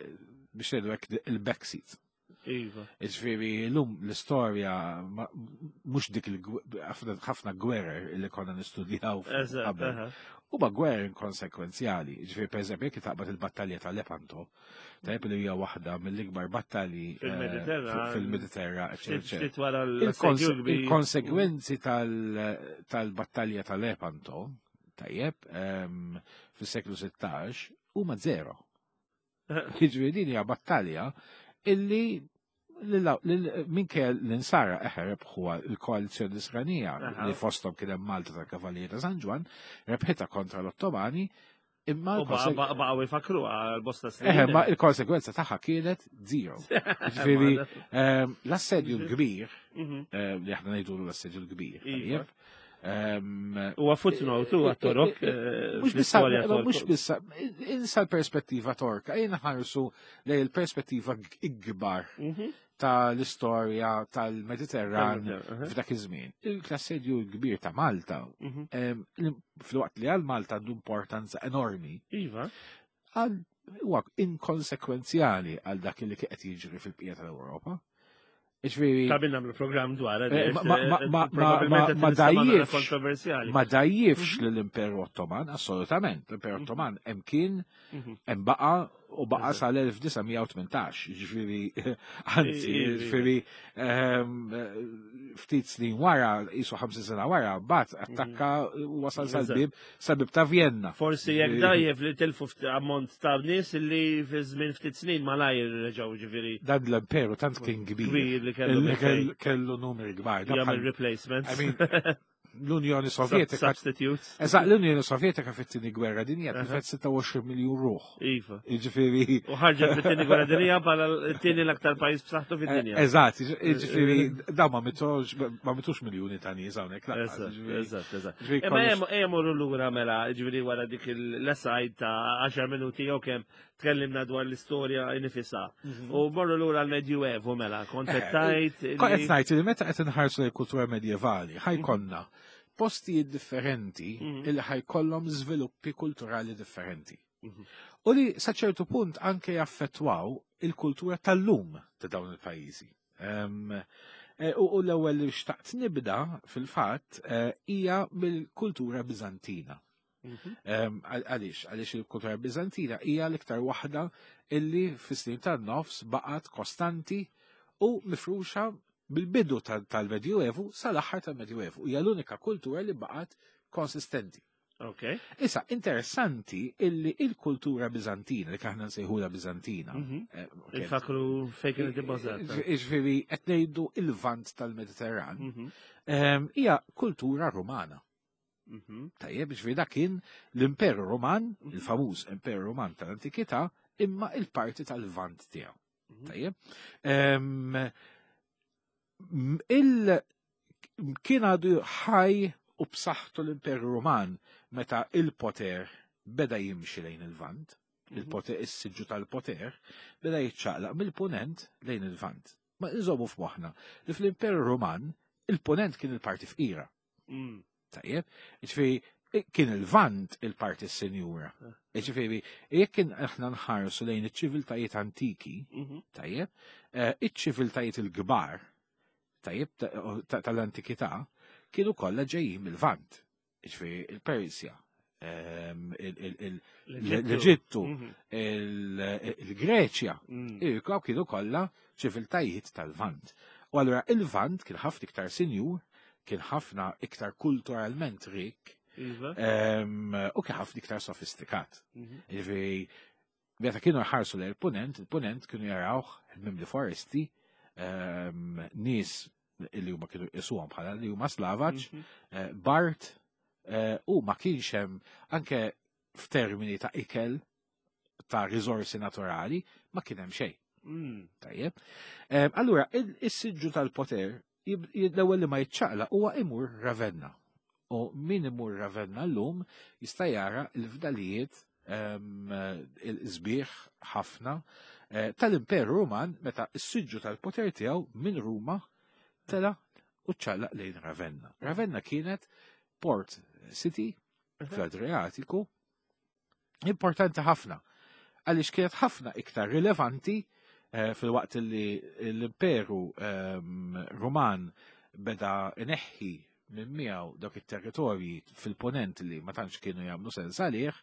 biex ngħidu hekk il-backseat. Iva. Ġifieri, l-lum l-istorja ma- mhux dik il ħafna gwerer li konna nistudjaw Eżatt, qabel. aha. Huma gwerer inkonsekwenzjali. Ġifieri, per eżempju, jekk taqbad il-battalja ta' Lepanto, tajjeb, li hija waħda mill-ikbar battalji eh, Fil-Mediterran. fil-Mediterran, eccetera, Ftit eccetera. ftit wara Il-konse- l-assedju kbir. Il-konsegwenzi tal- tal-battalja ta' Lepanto, tajjeb, em, fis-seklu sittax, huma zero. Jiġifieri din hija battalja illi minkejja l-insara eħe rebħu il-koalizjoni Nisranija Aha. li fosthom kien hemm Malta tal-Kavallieri ta' San Ġwann, rebħitha kontra l-Ottomani, imma U l-konseg- baqgħu jfakru għal bosta snin. Eħe, ma il-konsekwenza tagħha kienet zero. Ġifieri ehm, l-assedju l-kbir, Mhm. ehm, li aħna ngħidu l-assedju l-kbir, Iva. tajjeb, ehm, Huwa footnote huwa Torok eh, Mux bissa, fl-istorja mux Tork. bissa, insa l-perspettiva torka, jena ħarsu lej il-perspettiva ikbar Mhm. tal-istorja tal-Mediterran Aha. f'dak iż-żmien. Il-assedju l-kbir ta' Malta, Mhm. em, fil-waqt li għal Malta għandu importanza enormi, Iva. għal huwa inkonsekwenzjali għal dak li qed jiġri fil-bqija tal-Ewropa. Ġifieri, Ta' bin nagħmlu programm dwar. Eh, ma- ma- ma- ma- ma- ma dajjifx. Kontroversjali. Ma dajjifx lill-Imperu Ottoman, assolutament. L-Imperu Ottoman hemm kien, Mhm. hemm baqa u baqa Eżatt. sal-elf disa' mija u tmintax, ġifieri, anzi, I- i- ġifieri, ehm, ftit snin wara, jisu ħamsin sena wara, bat attakka u wasal Eżatt. sal-bib, sal-bib ta' Vienna. Forsi jekk dajjef li tilfu ftit ammont ta' nies li fi żmien ftit snin malajr reġgħu, ġifieri, Dan l-imperu tant kien kbir. Kbir li kellu Li minn kell- kellu numri kbar. Da jagħmel bħal- replacements. I mean, l-Unjoni Sovjetika. Substitutes. Eżatt, l-Unjoni Sovjetika fit-tieni gwerra dinja Aha. tilfet sitta u għoxrin miljun ruħ. Iva. Jiġifieri U ħarġet fit-tieni gwerra dinja bħala t-tieni l-aktar pajjiż b'saħħtu fid-dinja. Eżatt, jiġifieri dawn ma mitux ma mitux miljuni ta' nies hawnhekk lanqas, Eżatt, jiġifieri- eżatt, eżatt. Ġifieri Imma kollox- ejja morru lura mela, ġifieri, wara dik l-aside ta' għaxar minuti jew kemm tkellimna dwar l-istorja nifisha. U morru lura l-Medjuevu mela, kont qed tgħid Kont qed ngħid li meta qed inħarsu lejn kultura medjevali, ħa jkollna postijiet differenti Mhm. illi ħa jkollhom żviluppi kulturali differenti. Mhm. U li sa ċertu punt anke jaffettwaw il-kultura tal-lum ta' dawn il-pajjiżi. Em, eh, U u l-ewwel li xtaqt nibda fil-fatt eh, hija mill-kultura Biżantina. Mhm. Em, għal- Għaliex, għaliex il-kultura Biżantina hija l-iktar waħda illi fis-snin tan-nofs baqgħet kostanti u mifruxa bil-bidu tal- tal-Medjuevu sal-aħħar tal-Medjuevu. Hija l-unika kultura li baqgħet konsistenti. Ok. Issa, interessanti illi il-kultura Biżantina, li aħna nsejħula Biżantina, Mhm. eh, ok, Infakru fejn kienet ibbażata. Ġifieri, qed ngħidu il-Lvant tal-Mediterran, Mhm. em, hija kultura Rumana. Mhm. Tajjeb, ġifieri dak kien l-Imperu Roman, il-famuż Imperu Roman tal-Antikità, imma il-parti tal-Lvant tiegħu. Mhm. Tajjeb. Em, m- Il kien għadu ħaj u b'saħħtu l-Imperu Ruman meta il-poter beda jimxi lejn il-Lvant, Mhm. il-poter, is-siġġu tal-poter, beda jiċċaqlaq mill-punent lejn il-Lvant. Ma nżommu f'moħħna li fl-Imperu Ruman il-punent kien il-parti fqira. Mm. Tajjeb, ġifieri kien il-Lvant il-parti s-senjura. Ġifieri, jekk kien aħna nħarsu lejn iċ-ċiviltajiet antiki, Mhm. tajjeb, eh, iċ-ċiviltajiet il-kbar, tajjeb, ta- ta- tal-antikità, kienu kollha ġejjin mill-Lvant. Ġifieri il-Persja, ehm, il- il- il- l-Eġittu, Mhm. il- il-Greċja, Mm. Irkaw kienu kollha ċiviltajiet tal-Lvant. U allura il-Lvant kien ħafna iktar sinjur, kien ħafna iktar kulturalment rik, Iva. ehm, u kien ħafna iktar sofistikat. Mhm. Ġifieri, meta kienu jħarsu lejn il-punent, il-punent kienu jarawh mimli foresti, ehm, nies li huma kienu jqisuhom bħala li huma slavaġ, Mhm. eh, Bart, eh, u ma kienx hemm anke f'termini ta' ikel ta' riżorsi naturali, ma kien hemm xejn. Mm. Tajjeb. Em, Allura, il- is-siġġu tal-poter jib- jib- l-ewwel li ma jiċċaqlaq huwa imur Ravenna. U min imur Ravenna llum jista' jara l-fdalijiet em, il-sbieħ ħafna eh, tal-Imperu Ruman meta s-siġġu tal-poter tiegħu minn Ruma tela u ċċaqlaq lejn Ravenna. Ravenna kienet port city fl-Adriatiku importanti ħafna għaliex kienet ħafna iktar rilevanti eh, fil-waqt li l-Imperu ehm, Ruman beda ineħħi minn miegħu dawk it-territorji fil-ponent li ma tantx kienu jagħmlu sens għalih,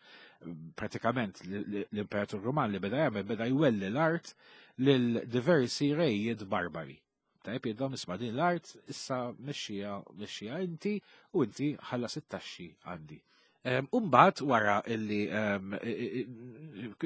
pratikament l- l- l-Imperatur Ruman li beda jagħmel beda jwelli l-art lil diversi rejiet barbari. Tajb jgħidlhom isma' din l-art issa mexxija mexxija inti u inti ħallas it-taxxi għandi. Em, Umbat wara illi em, i- i-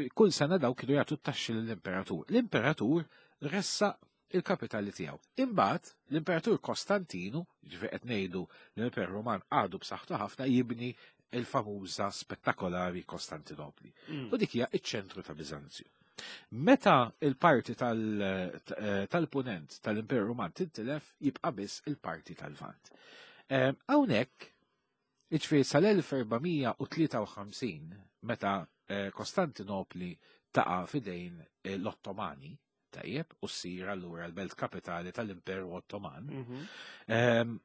i- kull sena daw kienu jagħtu t-taxxi lill-imperatur. L-imperatur ressa il-kapitali tiegħu. Imbagħad l-imperatur Kostantinu, ġifieri qed ngħidu l-Imperu Ruman għadu b'saħħtu ħafna jibni il-famuża spettakolari Kostantinopli. Mm. U dik hija iċ-ċentru ta' Biżanzju. Meta il-parti tal- eh, tal-punent tal-Imperu Ruman tintilef, jibqa' biss il-parti tal-Lvant. Em, Hawnhekk, jiġifieri sal-elf erba' mija u tlieta u ħamsin, meta eh, Kostantinopli taqa' fidejn eh, l-Ottomani, tajjeb, u ssir allura l-belt kapitali tal-Imperu Ottoman, Mhm. em,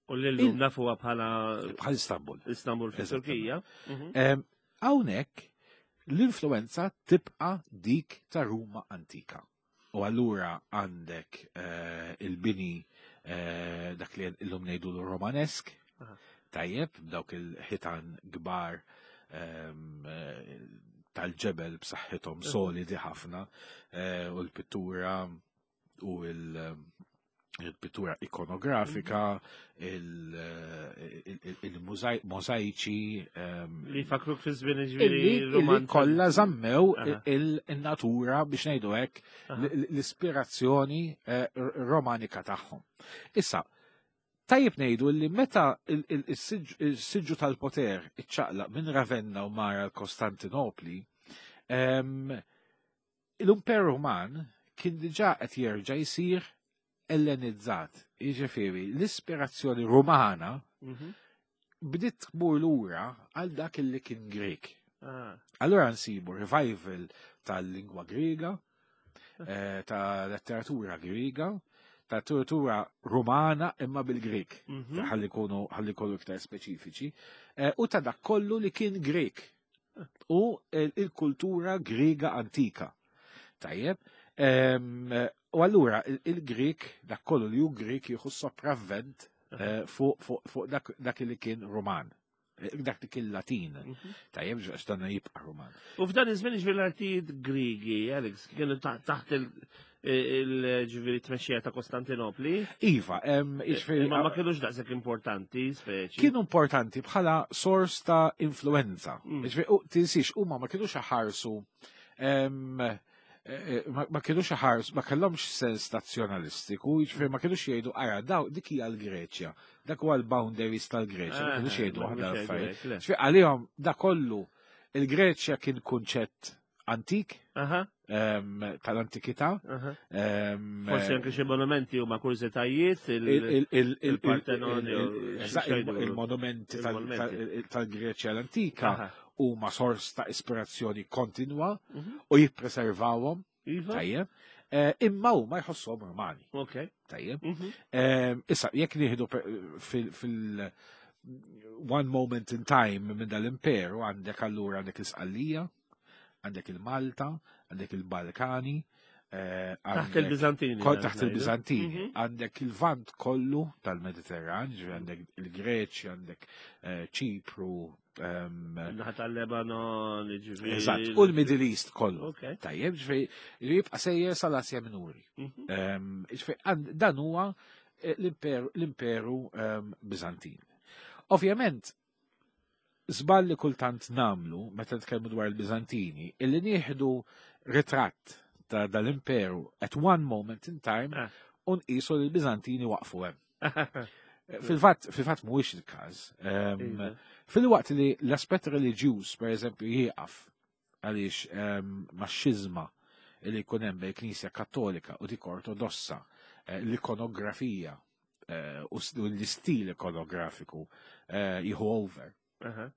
U l-lum nafuha bħala bħal Istanbul. Istanbul fit-Turkija. Mhm. Em, Hawnhekk l-influenza tibqa' dik ta' Ruma antika. U allura għandek eh, il-bini eh, dak li l-lum ngħidu l-Romanesk, Aha. tajjeb, dawk il-ħitan kbar em, eh, tal-ġebel b'saħħithom solidi ħafna, eh, u l-pittura u il- il-pittura ikonografika, il-mosaiċi, ehm, Li fakruk fi żmien illi ġifieri illi Roman. kollha żammew Aha. il- il-natura biex ngħidu hekk Aha. l- l-ispirazzjoni eh, r- romanika tagħhom. Issa, tajjeb ngħidu li meta il- il- is-siġġu il-siġġu tal-poter iċċaqlaq minn Ravenna u mara l-Kostantinopli, em, l-Imperu Ruman kien diġà qed jerġa' jsir ellenizzat. Jiġifieri, l-ispirazzjoni rumana Mhm. bdiet tmur lura għal dak li kien Grek. Ah. Allora nsibu revival tal-lingwa Griega, eh, ta' letteratura Griega, ta' letteratura Romana imma bil-Grek. Mhm. Ħalli kunu ħalli kunu iktar speċifiċi, eh, u ta' dak kollu li kien Grek u il- il-kultura Griega antika. Tajjeb, em, u allura il- il-Grek, dak kollu li hu Grek jieħu sopravvent eh, fuq fuq- fuq dak dak li kien Roman, eh, dak li kien Latin. Mhm. Tajjeb, għax dan jibqa' Roman. U f'dan iż-żmien ġifieri l-artijiet Grigi, Alex, kienu ta- taħt il- il-ġifieri tmexxija ta' Kostantinopli. Iva, em, jiġifieri, Imma ma kienux daqshekk importanti, speċi. kienu importanti bħala sors ta' influenza. Mm. Jiġifieri, u tinsiex, huma ma kienux ħarsu em, eh, ma ma kienux ħarsu, ma kellhomx sens nazzjonalistiku, jiġifieri ma kienux jgħidu ara daw dik hija l-Greċja, dak huwa l-boundaries tal-Greċja, ma kienux Eh, jgħidu ma waħda kienux jgħidu l-affarijiet. hekk, le. Jiġifieri għalihom da kollu il-Greċja kien kunċett antik, Aha, ehm, tal-antikità. aha. ehm, Forsi anke xi monumenti huma kurżitajiet il- il- il- il- il- il-Partenon il- jew il- xi eżatt, il- xejdu. il-monumenti tal- Il-monumenti. tal- tal-Greċja l-antika Aha. huma sors ta' ispirazzjoni kontinwa Mhm. u jippreservawhom, Iva? tajjeb, eh, imma huma jħossuhom Rumani, Ok. tajjeb. Mhm. Ehm, Issa, jekk nieħdu per- fil- fil- one moment in time minn dal-imperu għandek allura għandek l-Isqallija, għandek il-Malta, għandek il-Balkani, eh, Taħt għandek- il-Bizantini. Kol taħt ngħidu. il-Bizantini, Mhm. għandek il-Vant kollu tal-Mediterran, ġifieri għandek il-Greċja, għandek eh, Ċipru, ehm, Naħa tal-Lebanon, ġifieri. eżatt, u l-Middle East kollu. Ok. Tajjeb, ġifieri jibqa' sejjer sal-Asja Minuri. Mhm. Ehm, ġifieri, għand- dan huwa eh, l-imperu, l-imperu ehm, Bizantin. Ovvjament, żball li kultant namlu meta nitkellmu dwar il-Bizantini, illi nieħdu ritratt ta' dal-imperu at one moment in time Ah. u nqisu li l-Bizantini waqfu hemm. Fil-fatt, fil-fatt mhuwiex il-każ. Ehm, Iva. Fil-waqt li l-aspett reliġjuż, per eżempju, jieqaf għaliex ehm, max-xiżma li jkun hemm bejn Knisja Kattolika u dik Ortodossa, eh, l-ikonografija eh, u s- u l-istil ikonografiku eh, jieħu over Aha.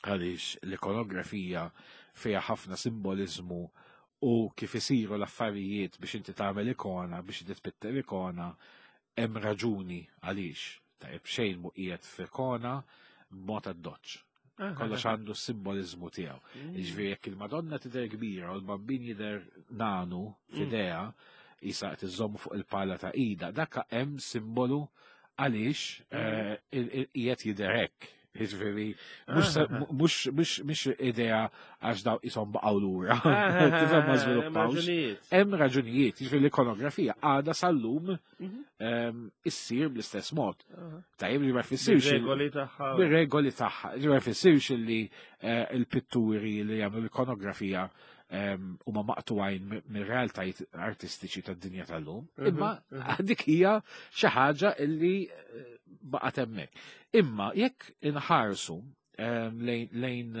għaliex l-ikonografija fiha ħafna simbolizmu u kif isiru l-affarijiet biex inti tagħmel ikona, biex inti tpitter ikona, hemm raġuni għaliex. Tajjeb xejn mu qiegħed f'ikona b'mod addoċċ. Aha. Kollox għandu s-simbolizmu tiegħu. Mm. Jiġifieri jekk il-Madonna tidher kbira u l-bambin jidher nanu f'idea, jisa qed iżommu fuq il-pala ta' ida, dak hemm simbolu għaliex eh, il- il- qiegħed jidher hekk. Jiġifieri mhux se- Ah. mhux mhux mhux idea għax daw qishom baqgħu lura. Ah, Tifhem ma hemm żviluppawx. raġunijiet. Hemm raġunijiet, jiġifieri l-ikonografija għadha sal-lum Mhm. ehm, issir bl-istess mod. Aha. Tajjeb li ma jfissirx il- Bir-regoli tagħha. bir-regoli tagħha. Ġi ma jfissirx li eh, il-pitturi li jagħmlu l-ikonografija ehm, huma maqtuwajn mi- mir-realtajiet artistiċi tad-dinja tal-lum. Mhm, Imma mhm. dik hija xi ħaġa illi eh, baqgħet hemmhekk. Imma jekk inħarsu ehm, lejn lejn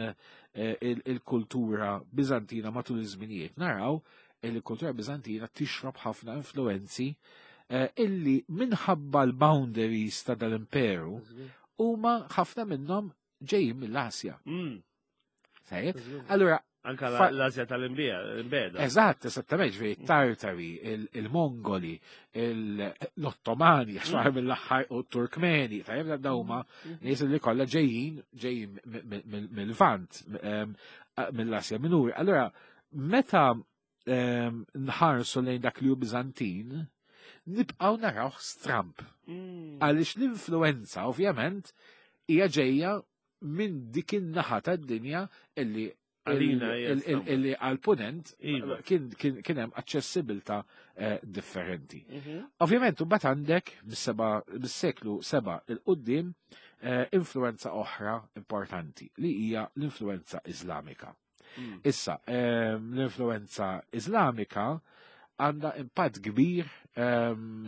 eh, il- il-kultura Bizantina matul iż-żminijiet naraw li l-kultura Bizantina tixrob ħafna influenzi eh, illi minħabba l-boundaries ta' dal-imperu huma ħafna minnhom ġejjin mill-Asja. Mm. Tajjeb? Allura, Anka Fa- l-Asja tal-imbija, l-imbeda. eżatt, eżattament, ġifieri Tartari, il- il-Mongoli, il- l-Ottomani, għax mm. mill-aħħar u t-Turkmeni, tajjeb da huma nies li kollha ġejjin ġejjin mi- mi- mi- mill-Lvant, em, mill-Asja Minuri. Allura, meta em, nħarsu lejn dak li hu Bizantin, nibqgħu narawh stramp. Mm. Għaliex l-influenza, ovvjament, hija ġejja minn dik in-naħa tad-dinja illi Għalina hija il- il- stramba. illi għal-punent Iva. kien kien kien hemm aċċessibilità eh, differenti. Mhm. Ovvjament, mbagħad għandek mis-seba' mis-seklu seba' il qudiem eh, influenza oħra importanti li hija l-influenza Iżlamika. Mm. Issa, ehm, l-influenza Iżlamika għandha impatt kbir ehm,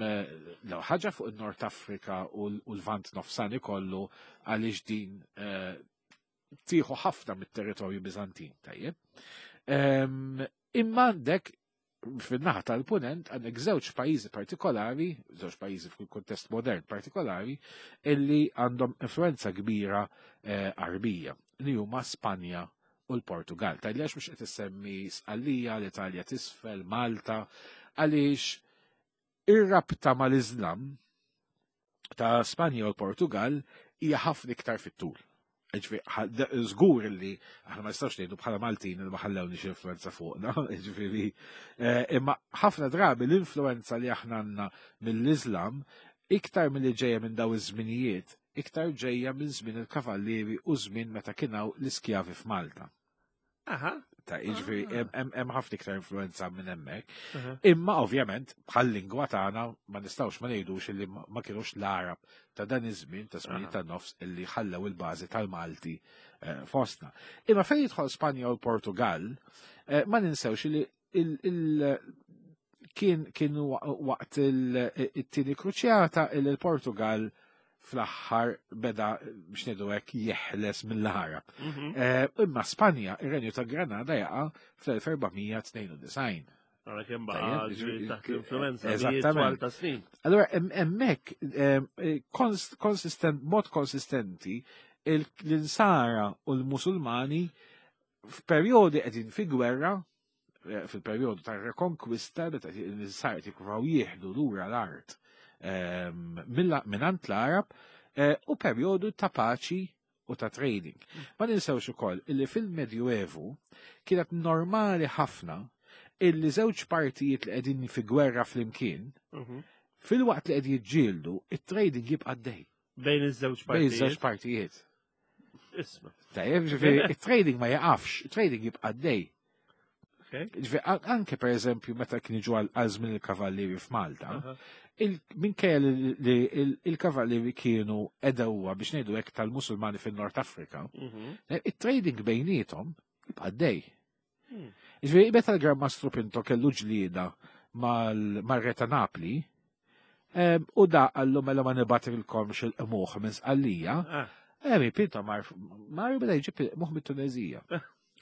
l ħaġa fuq il-Nord Afrika u l- u l-Vant Nofsani kollu għaliex din eh, tieħu ħafna mit-territorju Bizantin, tajjeb. Ehm, Imma għandek fin-naħa tal-punent għandek żewġ pajjiżi partikolari, żewġ pajjiżi fil-kuntest modern partikolari, illi għandhom influenza kbira eh, Arbija, li huma Spanja u l-Portugal. Tajli għax mhux qed issemmi Sqallija, l-Italja tisfel, Malta, għaliex ir-rabta mal-Iżlam ta' Spanja u l-Portugal hija ħafna iktar fit-tul. Ġifieri, ħa- da- żgur li aħna ma nistgħux ngħidu bħala Maltin li ma ħallewniex influenza fuqna, ġifieri, eh, imma ħafna drabi l-influenza li aħna għandna mill-Iżlam iktar milli ġejja minn daw iż-żminijiet, iktar ġejja minn żmien il-kavallieri u żmien meta kien hawn l-iskjavi f'Malta. Aha. Ta' jiġifieri hemm- hemm hemm ħafna iktar influenza minn hemmhekk. Aha. Imma ovvjament bħal lingwa tagħna ma nistgħux ma ngħidux illi ma ma kinux l-Arab ta' dan iż-żmien ta' żmien Aha. ta' nofs illi ħallew il-bażi tal-Malti eh, fostna. Imma fejn jidħol Spanja u l-Portugal, eh, ma ninsewx li il- il- kien kien wa- waqt il- it-tieni kruċjata illi l-Portugal fl-aħħar beda, biex ngħidu hekk, jeħles mill-Għarab. Mhm. Eh, Imma Spanja, ir-Renju ta' Granada jaqa' fl-elf erba' mija tnejn u disgħin. Għara kemm baqa' Tajjeb, ġifieri taħt l-influenza eżattament. twal ta' snin. Allora, hemmhekk, konsistent, mod konsistenti, il- l-Insara u l-Musulmani f'perjodi qegħdin fi gwerra, eh, fil-perjodu ta' rekonkwista, meta l-Insara jippruvaw jieħdu lura l-art ehm, mill- mingħand l-Arab, eh, u perjodu ta' paċi u ta' trading. Ma ninsewx ukoll illi fil-Medjuevu kienet normali ħafna illi żewġ partijiet li qegħdin fi gwerra flimkien, Mhm. fil-waqt li qed jiġġieldu, it-trading jibqa' għaddej. Bejn iż-żewġ Bejn iż-żewġ partijiet. partijiet. Isma. Tajjeb, ġifieri, it-trading ma jaqafx, it-trading jibqa' għaddej. Okay. Ġifieri, an- anke per eżempju meta kien jiġu għal għal żmien il-kavallieri f'Malta, Aha. il- minkejja li li il- il-kavallieri kienu għedewwa, biex ngħidu hekk, tal-Musulmani fin-Nord Afrika, Mhm. it-trading bejniethom jibqa' għaddej. Hmm. Ġifieri, meta l-Gran Mastru Pinto kellu ġlieda mal-Re ta' Napli, em, u da qallu, "Mela ma nibgħatilkomx il-qmuħ minn Sqallija," Ah, Emi, Pinto mar, mar beda jġib il-qmuħ mit-Tunezija.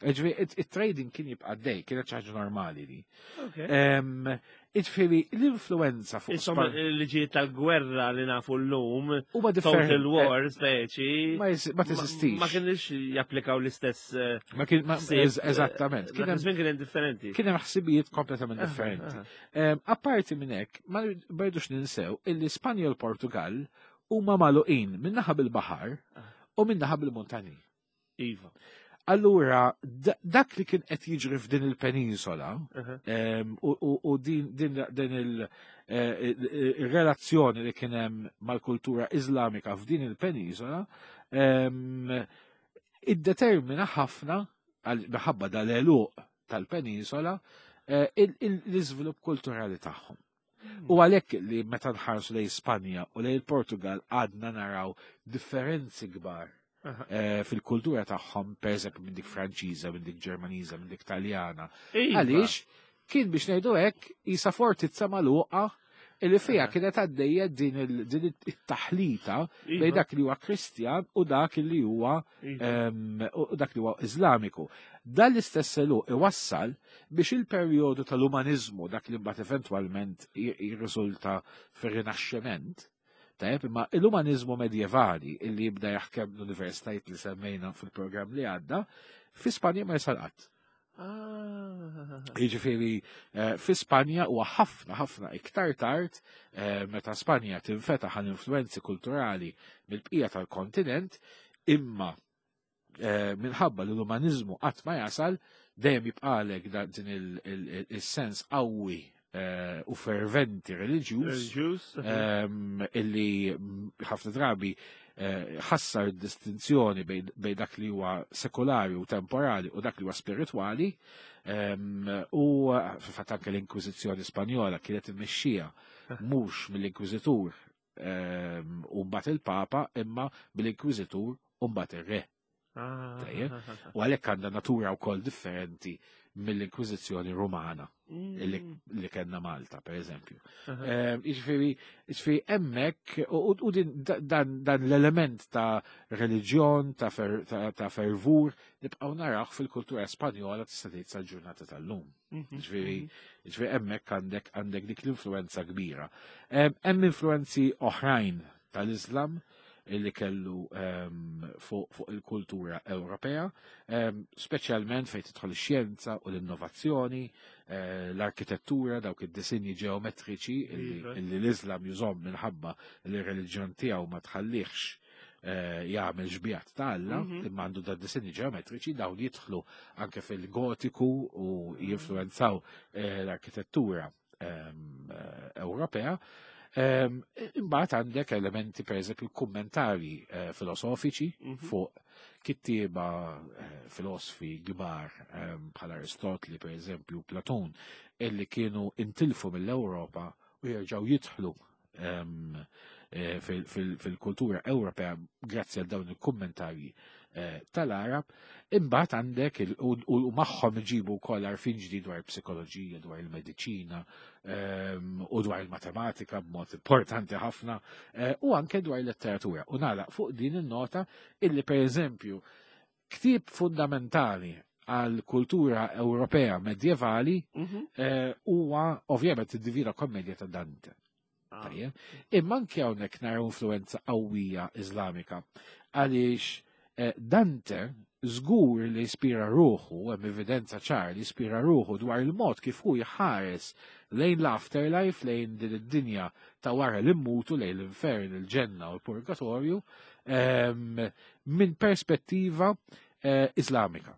Ġifieri, it-trading kien jibqa' għaddej, kienet xi ħaġa normali li. okay. Em, Ġifieri, l-influenza fuq Insomma, Span- il-liġijiet tal-gwerra li nafu l-lum, huma total differenti. war, speċi, Ma jis- ma teżistix. Ma kienx japplikaw l-istess eh, Ma kien, ma- ħsieb, eż- eżattament. eh, Kien Dak hemm iż-żmien kien differenti. kien hemm ħsibijiet kompletament Aha, differenti. aha. Em, Apparti minn hekk, ma rridux ninsew illi Spanja u l-Portugal huma magħluqin minnaħa bil-baħar u minnaħa bil-montani. Iva. Allura, da- dak li kien qed jiġri f'din il-penisola Aha. em, u, u, u din, din, din il- eh, il-relazzjoni li kien hemm mal-kultura Iżlamika f'din il-penisola em, iddetermina ħafna għal- minħabba dal-għeluq tal-penisola eh, il- il- l-iżvilupp kulturali tagħhom. U għalhekk li meta nħarsu lejn Spanja u lejn il-Portugal għadna naraw differenzi kbar Aha. eh, fil-kultura tagħhom, per eżempju minn dik Franċiża, minn dik Ġermaniża, minn dik Taljana. Iva. Għaliex kien, biex ngħidu hekk, isa fortizza magħluqa illi fiha Aha. kienet għaddejja din il- din it-taħlita Iva. bejn dak li huwa Kristjan u dak li huwa Iva. em, u dak li huwa Iżlamiku. Dan l-istess għeluq iwassal biex il-perjodu tal-umanizmu, dak li mbagħad eventwalment jirriżulta fir-Rinaxximent, tajjeb, imma l-umanizmu medjevali illi jibda jaħkem l-universitajiet li semmejna fil-programm li għadda, fi Spanja ma jasal qatt. Ah. Jiġifieri, eh, fi Spanja huwa ħafna ħafna iktar tard eh, meta Spanja tinfetaħ għal influenzi kulturali mill-bqija tal-kontinent, imma eh, minħabba li l-umanizmu qatt ma jasal, dejjem jibqalek da- din il- il- il-sens qawwi eh, u ferventi reliġjuż Reliġjuż. em, illi mm, ħafna drabi eh, ħassar distinzjoni bejn bejn dak li huwa sekolari u temporali u dak li huwa spiritwali em, u eh, fil-fatt anke l-Inkwiżizzjoni Spanjola kienet immexxija mhux mill-Inkwiżitur em, u mbagħad il-Papa, imma mill-Inkwiżitur u mbagħad ir-Re. Ah. Tajjeb. U għalhekk għandha natura wkoll differenti mill-Inkwiżizzjoni Rumana Mm. li, li kellna Malta, per eżempju. Aha. Ehm, Jiġifieri, jiġifieri hemmhekk u, u din, dan, dan l-element ta' reliġjon, ta', fer, ta, ta' fervur, nibqgħu narawh fil-kultura Spanjola, tista' tgħid, sal-ġurnata tal-lum. Mhm. Jiġifieri, jiġifieri hemmhekk għandek għandek dik l-influenza kbira. Ehm, Hemm influenzi oħrajn tal-Islam illi kellu ehm, fuq fuq il-kultura Ewropea, ehm, speċjalment fejn tidħol ix-xjenza u l-innovazzjoni, eh, l-arkitettura, dawk id-disinji ġeometriċi illi, Iva. illi l-Islam jużahom minħabba li r-reliġjon tiegħu ma tħallihx eh, jagħmel xbihat ta' Alla, Mhm. imma għandu da disinji ġeometriċi, dawn jidħlu anke fil-Gotiku u jinfluenzaw eh, l-arkitettura ehm, eh, Ewropea. Ehm, Imbagħad għandek elementi, per eżempju kummentari eh, filosofiċi Mhm. fuq kittieba eh, filosofi kbar ehm, bħal Aristotli, per eżempju, Platun, illi kienu intilfu mill-Ewropa u jerġgħu jidħlu ehm, eh, fil- fil- fil-kultura Ewropea grazzi għal dawn il-kummentarji eh, tal-Arab. Imbagħad għandek u magħhom iġibu wkoll għarfien ġdid dwar psikoloġija, dwar il-mediċina ehm, u dwar il-matematika b'mod importanti ħafna eh, u anke dwar il-letteratura. U nagħlaq fuq din in-nota illi, pereżempju, ktieb fundamentali għal kultura Ewropea medjevali mhm. eh, huwa ovvjament id-Divina Kommedja ta' Dante. Ah. Imma anke hawnhekk naraw influenza qawwija Iżlamika, għaliex eh, Dante żgur li ispira ruħu, hemm evidenza ċar li ispira ruħu dwar il-mod kif hu jħares lejn l-afterlife, lejn din id-dinja ta' wara li mmutu, lejn l-infern, il-ġenna u l-purgatorju, ehm, minn perspettiva eh, Islamika.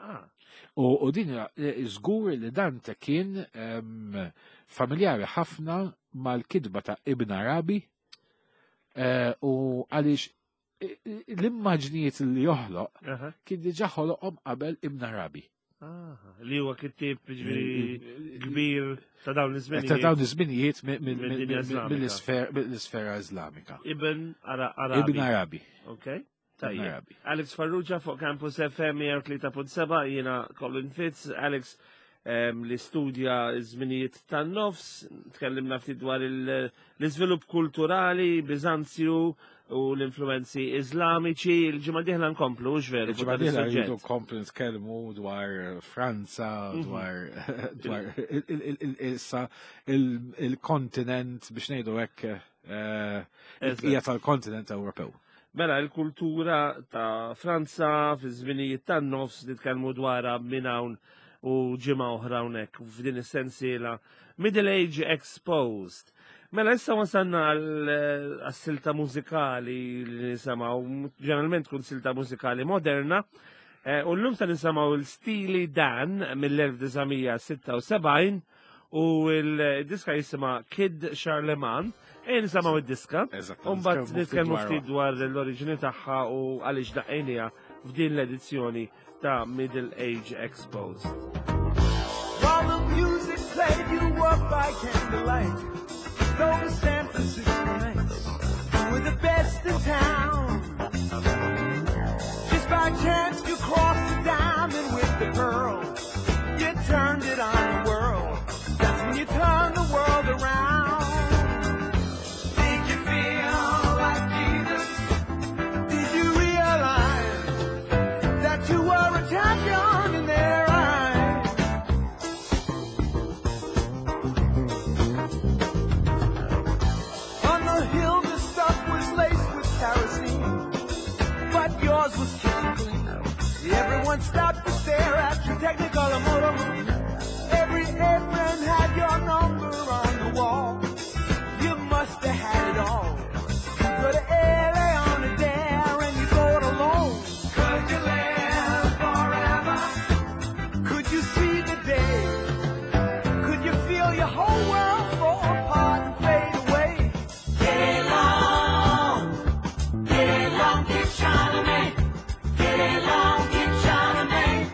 Ah. U din eh, żgur li Dante kien ehm, familjari ħafna mal-kitba ta' Ibn Arabi eh, u għaliex l-immaġnijiet li joħloq kien diġà ħoloqhom qabel Ibn Arabi. Li huwa kittieb, ġifieri, kbir ta' dawn iż-żminijiet. Ta' dawn iż-żminijiet mill-isfera Iżlamika. Ibn Arabi. Ibn Arabi. Okay. Tajjeb. Alex Farrugia fuq Campus F M tlieta punt seba', jiena Colin Fitz. Alex li studja żminijiet tan-nofs, tkellimna ftit dwar l-iżvilupp kulturali, Bizanzju u l-influenzi Iżlamiċi. Il-ġimgħa dieħla nkomplu, hux veru? Il-ġimgħa dieħla rridu nkomplu nitkellmu dwar Franza, mhm. dwar dwar issa il-kontinent, biex ngħidu hekk, eh, hija tal-kontinent Ewropew. Mela, il-kultura ta' Franza fi żminijiet tan-nofs nitkellmu dwarha minn hawn u ġimgħa oħra hawnhekk f'din is-sensiela Middle Age Exposed. Mela, issa wasalna għal-silta mużikali li nisimgħu, ġeneralment tkun silta mużikali moderna, eh, u l-lum se nisimgħu l-Steely Dan mill-elf disa' mija sitta u sebgħin u l-diska jisimha Kid Charlemagne. Ejja nisimgħu id-diska. U mbagħad nitkellmu ftit dwar l-oriġini tagħha u għaliex daqqejnieha f'din l-edizzjoni ta' Middle Age Exposed. While the music played, you walked by candlelight. Those San Francisco nights were the best in town. Just by chance you crossed the diamond with the pearl. You turned it on the world. That's when you turned the world around. Did you feel like Jesus? Did you realize that you were a champion in their eyes? On the hill, the stuff was laced with kerosene, but yours was kitchen clean. Everyone stopped to stare at your Technicolor motor. Every apron had your number on the wall. You must have had it all. You go to L A on a dare and you go it alone. Could you live forever? Could you see the day? Could you feel your whole world fall apart and fade away? Get along, get along, Kid Charlemagne. Get along, Kid Charlemagne.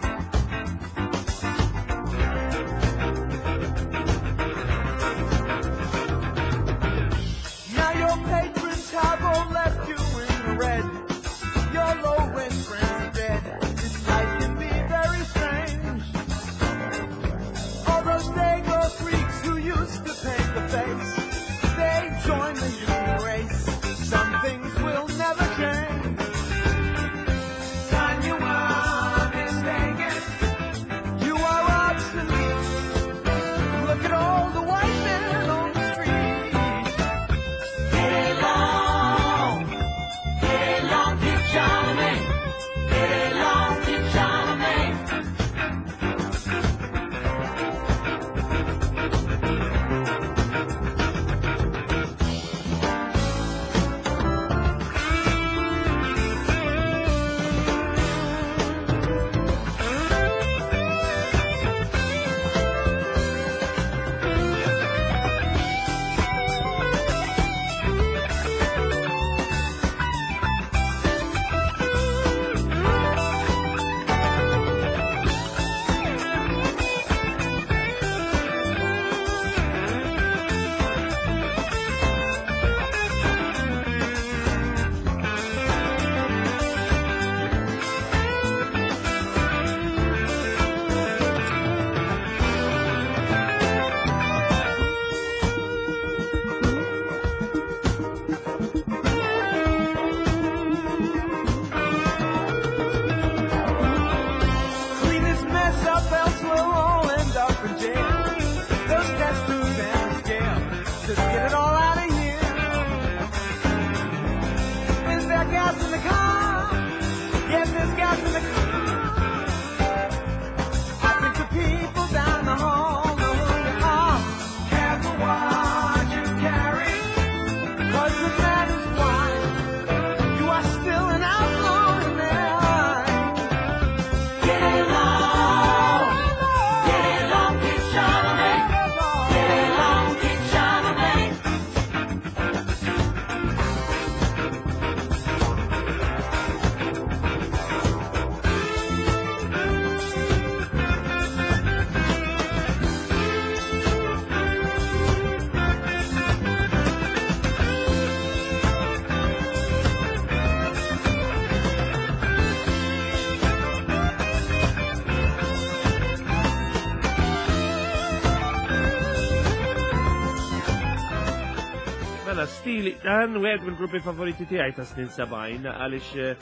Mela, Steely Dan, wieħed mill-gruppi favoriti tiegħi ta' snin sebgħin, għaliex eh,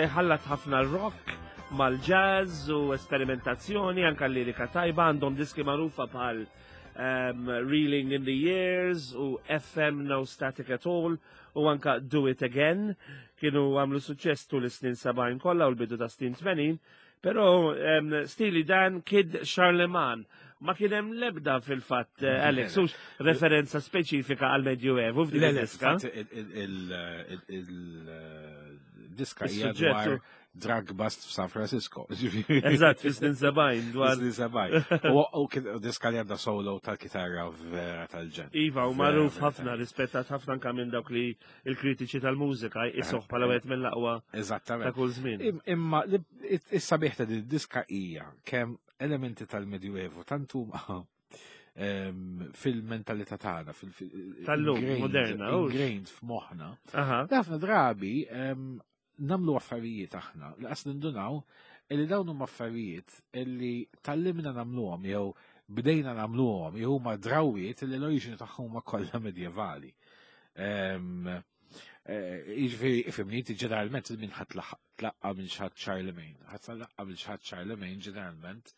iħallat ħafna rock mal-jazz u esperimentazzjoni, anka lirika tajba, għandhom diski magħrufa bħal um, Reeling in the Years u F M No Static at All u anka Do It Again. Kienu għamlu suċċess tul is-snin sebgħin kollha u l-bidu ta' snin tmenin. Però um, Steely Dan, Kid Charlemagne, ma kien hemm lebda fil-fatt, eh, Alex, hux referenza speċifika għal Medjuevu f'din Le, le, id-diska. Fatt il-diska hija Is-suġġett dwar drug bust f'San Francisco. Eżatt, fis-snin sebgħin dwar. Snin sebgħin. U u kien diska li għandha solo tal-kitarra vera tal-ġenn. Iva, u Vera, magħruf vera ħafna, rispettat ħafna anka minn dawk li il-kritiċi tal-mużika jisuh bħala wieħed mill-aqwa ta' Eżattament. kull żmien. Im- Imma li- is-sabiħ ta' din diska hija kemm elementi tal-Medjuevu tant huma em, fil-mentalità tagħna, fil- fil- Tal-lum, ingrained- moderna, hux? ingrained f'moħħna. Aha. Ħafna drabi em, nagħmlu affarijiet aħna li qas nindunaw illi dawn huma affarijiet illi tgħallimna nagħmluhom jew bdejna nagħmluhom jew huma drawiet illi l-oriġini tagħhom huma kollha medjevali. Em, eh, Jiġifieri, ifhimni, inti ġeneralment minn ħadd tlaqqa minn xi ħadd Charlemagne. Ħadd tlaqqa minn xi ħadd Charlemagne ġeneralment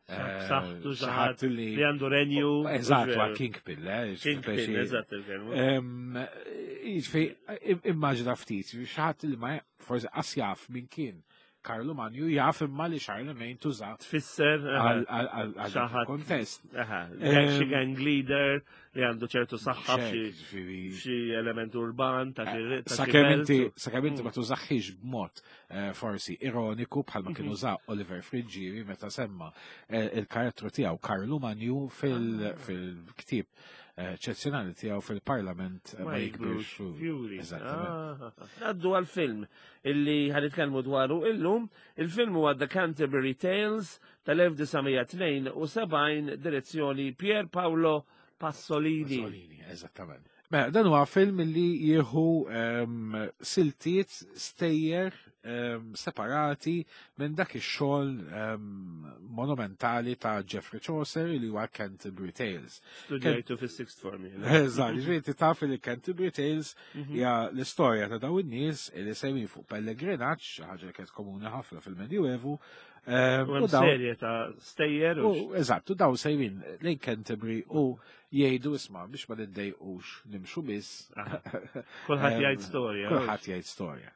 eh, Saħtu xi ħadd li li għandu renju. Eżatt, huwa kingpin, le? Kingpin, Speċi- eżatt il-kelma. Em, Jiġifieri, immaġina ftit, xi ħadd li ma forsi qas jaf min kien Karlu Manju, jaf imma li Charlemagne tuża Tfisser, aha, għal għal- għal għal Xi ħadd. kontest. Aha, Em, xi gang leader li għandu ċertu saħħa f'xi Ġifieri, xi element urban ta' xi ta' xi Sakemm belt inti u- sakemm inti ma tużaħħiex b'mod eh, forsi ironiku bħalma kien Mhm. uża Oliver Friggieri meta semma eh, il-karattru tiegħu Karlu Manju fil- Ah. fil-ktieb eh, eċċezzjonali tiegħu Fil-Parlament eh, Ma Jikbirx Fjuri. Eżattament. Ah. Naddu għal-film illi ħa nitkellmu dwaru illum. Il-film huwa The Canterbury Tales tal-elf disa' mija tnejn u sebgħin, direzzjoni Pier Paolo Pasolini. Pasolini, eżattament. Mela, dan huwa film li jieħu um, siltiet stejjer um, separati minn dak ix-xogħol um, monumentali ta' Geoffrey Chaucer li huwa Canterbury Tales. Studjajtu fis-sixth form jiena. Eżatt, ġifieri taf li Canterbury Tales Mhm. hija l-istorja ta' dawn in-nies li sejrin fuq pellegrinaġġ, xi ħaġa li kienet komuni ħafna fil-Medjuevu. um, U hemm u dawn- serje ta' stejjer u U eżatt, u daw sejrin lejn Canterbury u jgħidu, isma', biex ma niddejqux nimxu biss. Aha. Kulħadd Em, jgħid storja. Kulħadd jgħid storja.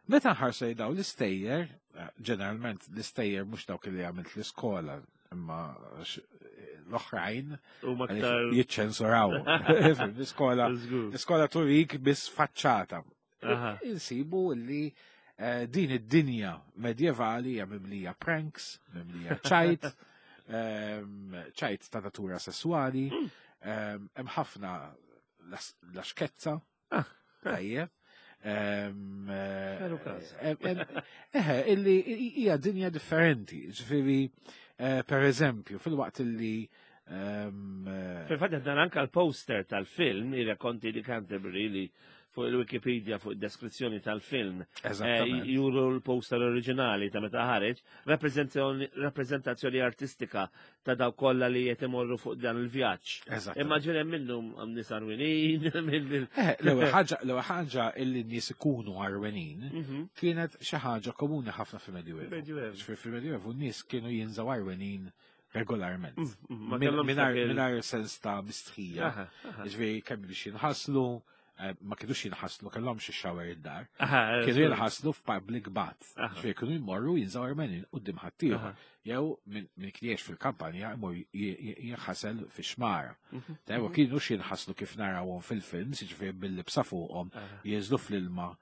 Meta nħarsu lejn daw l-istejjer, eh, ġeneralment l-istejjer mhux dawk li għamilt l-iskola, imma x- l-oħrajn U maktar. jiċċensuraw. L-iskola Żgur. l-iskola turik biss faċċata. Aha. Insibu li eh, din id-dinja medjevali hija mimlija pranks, mimlija ċajt, em, ċajt ta' natura sessuali, Mm. em, hemm ħafna las- laxkezza, Ah. tajjeb. Em, eh, Veru każ. em, em, Eħe, illi hija dinja differenti. Ġifieri, eh, per eżempju, fil-waqt illi em, eh, Fil-fatt dan anka l-poster tal-film, I racconti di Canterbury, li fuq il-Wikipedia, fuq il-deskrizzjoni tal-film, eh, Eżattament. juru l-poster oriġinali ta' meta ħareġ, rappreżentazzjoni- rappreżentazzjoni artistika ta' daw kollha li qed imorru fuq dan il-vjaġġ. Eżattament. Imma ġen hemm minnhom hemm nies għarwenin, minn Eh, L-ewwel ħaġa, l-ewwel ħaġa illi n-nies ikunu għarwenin Mhm. kienet xi ħaġa komuni ħafna fil-Medjuevu. Medjuevu. Ġifieri fil-Medjuevu n-nies kienu jinżaw għarwenin regolarment. Mm, mm, ma Min- kellhomx Mingħajr dak il- mingħajr sens ta' mistħija. Aha, aha. Ġifieri kemm biex jinħaslu, eh, ma kienux jinħaslu, kellhomx ix-shower id-dar. Aha, Kienu żgur. jinħaslu f'public bath. Aha. Ġifieri kienu jmorru jinżaw għarwenin quddiem ħaddieħor. Aha. Jew min min kien jgħix fil-kampanja jmur j- j- jinħasel fi xmara. Mhm. Tajwa kienu jinħaslu kif narawhom fil-films, jiġifieri bil-libsa fuqhom, Aha. jinżlu fl-ilma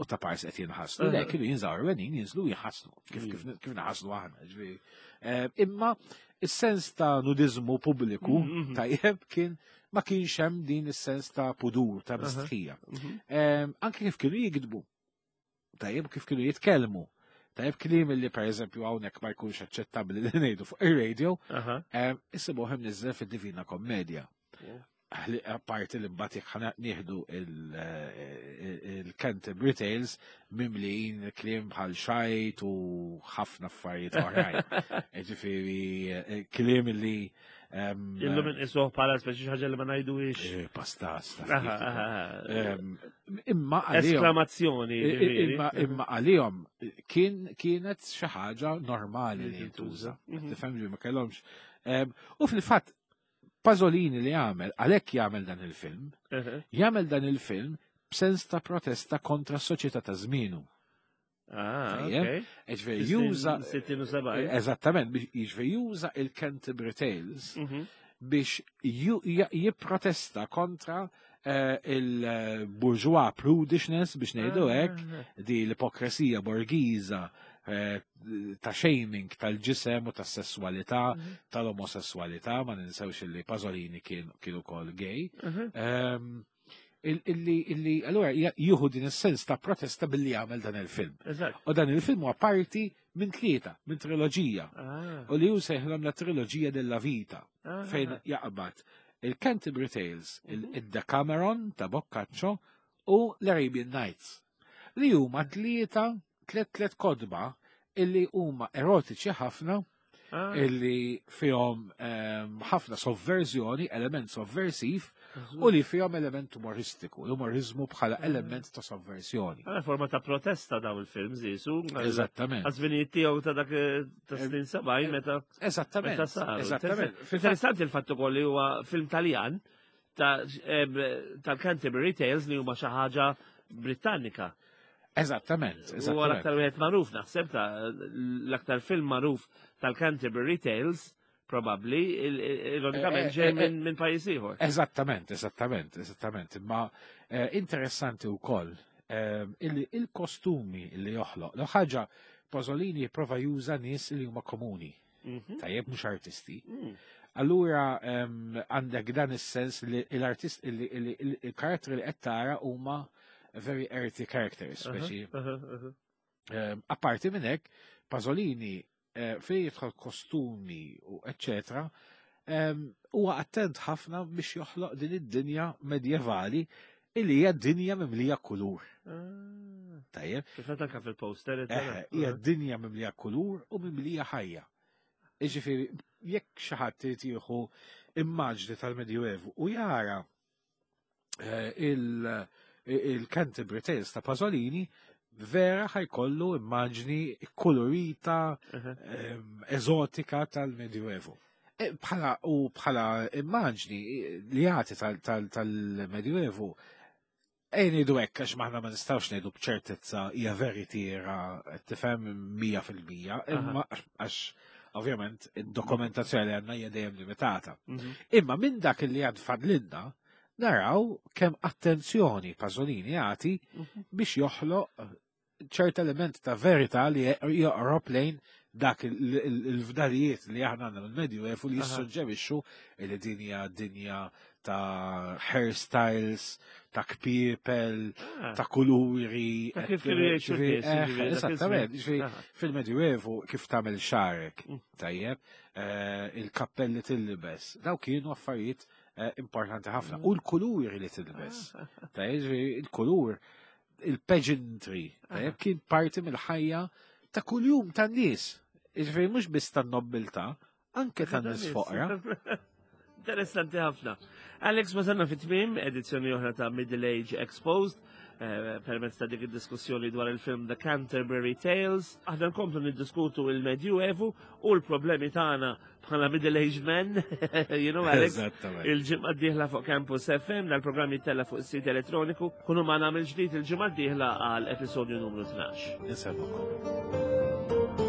u ta' pars qed jinħaslu. Le, Aha. kienu jinżaw għarwenin, jinżlu jinħaslu, kif kif kif naħaslu aħna. Ġifieri. Eh, Imma is-sens ta' nudizmu pubbliku Mhm. tajjeb kien ma kienx hemm din is-sens ta' pudur, ta' Aha. mistħija. Mhm. Em, Anke kif kienu jikdbu, tajjeb kif kienu jitkellmu. Tajjeb kliem li per eżempju hawnhekk ma jkunx aċċettabbli li ngħidu fuq ir-radio, Aha. em, issibuh imniżżel fid-Divina Kommedja. Li- Apparti li mbagħad jekk ħana nieħdu il-Canterbury Tales mimlijin kliem bħal xajt u ħafna affarijiet oħrajn. Ġifieri eh, kliem li Em, Illum inqisuh bħala speċi xi ħaġa li ma ngħiduhiex. eh, Pastas. taf Aha, kif. aha, aha. Em, Imma għalihom Esklamazzjoni. ġifieri. Imma imma għalihom kien kienet xi ħaġa normali li Li jintuża. tintuża. Mhm. Tifhem ġi ma kellhomx. Em, U fil-fatt Pasolini li jagħmel, għalhekk jagħmel dan il-film, Aha. jagħmel dan il-film b'sens ta' protesta kontra s-soċjetà ta' żmienu. Ah, Tajjeb. ok. Ġifieri juża Sittin u sebgħin. Eżattament, biex jiġifieri juża il-Canterbury Tales Mhm. biex ju- ja- jipprotesta kontra eh, il-bourgeois prudishness biex ngħidu hekk, Ah. di l-ipokresija borgiża eh, ta' shaming tal-ġisem u tas-sessualità, Mhm. tal-omosessualità, ma ninsewx li Pasolini kien kien ukoll gay. Mhm. Ehm, il- Illi, illi, allura ja- jieħu din is-sens ta' protesta billi jagħmel dan il-film. Eżatt. U dan il-film huwa parti minn tlieta, minn triloġija. Ah, U li hu sejħilhom la triloġija della vita, ah. fejn jaqbad il-Canterbury Tales, il-Decameron ta' Boccaccio u l-Arabian Nights. Li huma tlieta, tliet tliet kotba illi huma erotiċi ħafna, Ah, illi fihom ehm, ħafna sovverżjoni, element sovversiv, u li fihom element umoristiku, l-umorizmu bħala element ta' sovversjoni. Ah, forma ta' protesta daw il-film, zisu. Eżattament. Għaż-żminijiet tiegħu ta' dak eh, ta' snin sebgħin meta Eżattament. meta saru. Eżattament. Fil-fatt- Interessanti il-fatt ukoll li huwa film Taljan ta' em, tal-Canterbury Tales li huma xi ħaġa Britannika. Eżattament. Huwa Eżattament. l-aktar wieħed magħruf naħseb ta' l-aktar film magħruf tal-Canterbury Tales probabbli il- il- ironikament Eh, ġej eh, minn minn pajjiż ieħor. Eżattament, eżattament, eżattament. Imma eh, interessanti wkoll eh, illi il-kostumi li joħloq. L ħaġa Pasolini jipprova juża nies li huma komuni, Mhm. tajjeb mhux artisti. Mm. Allura em, għandek dan is-sens li l-artist illi illi- il- il-karatteri li qed tara huma very earthy characters, speċi. Aha, aha. Em, Apparti minn hekk, Pasolini eh, fejn jidħol kostumi u eccetera, em, huwa attent ħafna biex joħloq din id-dinja medjevali illi hija dinja mimlija kulur. Ah. Tajjeb, Kif anka fil-poster. eħe, hija dinja mimlija kulur u mimlija ħajja. Iġifieri, jekk xi ħadd irid jieħu immaġni tal-Medjuevu u jara eh, il- il-Canterbury Tales ta' Pasolini, vera ħa jkollu immaġni kolorita, em, eżotika tal-Medjuevu. E, Bħala u bħala immaġni li jagħti tal- tal- tal-Medjuevu Ejn ngħidu hekk għax maħna ma nistgħux ngħidu b'ċertezza hija veritiera tifhem mija fil-mija, imma għax ovvjament id-dokumentazzjoni li għandna hija dejjem limitata. Mhm. Imma minn dak li għad fadlinna naraw kemm attenzjoni Pasolini jagħti Mhm. biex joħloq ċert element ta' verità li joqrob lejn dak il- il- il-fdalijiet li aħna għandna mill-Medjuevu li Aha. jissuġġerixxu li din hija dinja ta' hairstyles, ta' kpiepel, Ah. ta' kuluri. Ta' kif kienu jgħixu n-nies, Eh, jiġifieri, dak Eżattament, iż-żmien. jiġifieri, Aha. fil-Medjuevu kif tagħmel xagħrek, Mm. tajjeb, eh, il-kappelli tillibes, daw kienu affarijiet eh, importanti ħafna. Mm. U l-kuluri li tilbes, Ah. tajjeb, jiġifieri, il-kulur, il-pageantry, tajjeb, kien parti mill-ħajja ta' kuljum tan-nies. Jiġifieri mhux biss tan-nobbiltà, anke tan-nies foqra. Interessanti ħafna. Alex, wasalna fi tmiem edizzjoni oħra ta' Middle Age Exposed, eh, permezz ta' dik id-diskussjoni dwar il-film The Canterbury Tales. Aħna nkomplu niddiskutu il-Medjuevu u l-problemi tagħna bħala Middle Age men, you know, Alex. Eżattament. Il-ġimgħa d-dieħla fuq Campus F M, dal-programm jittella fuq is-sit elettroniku, kunu magħna mill-ġdid il-ġimgħa d-dieħla għal episodju numru tnax. Insellmukom.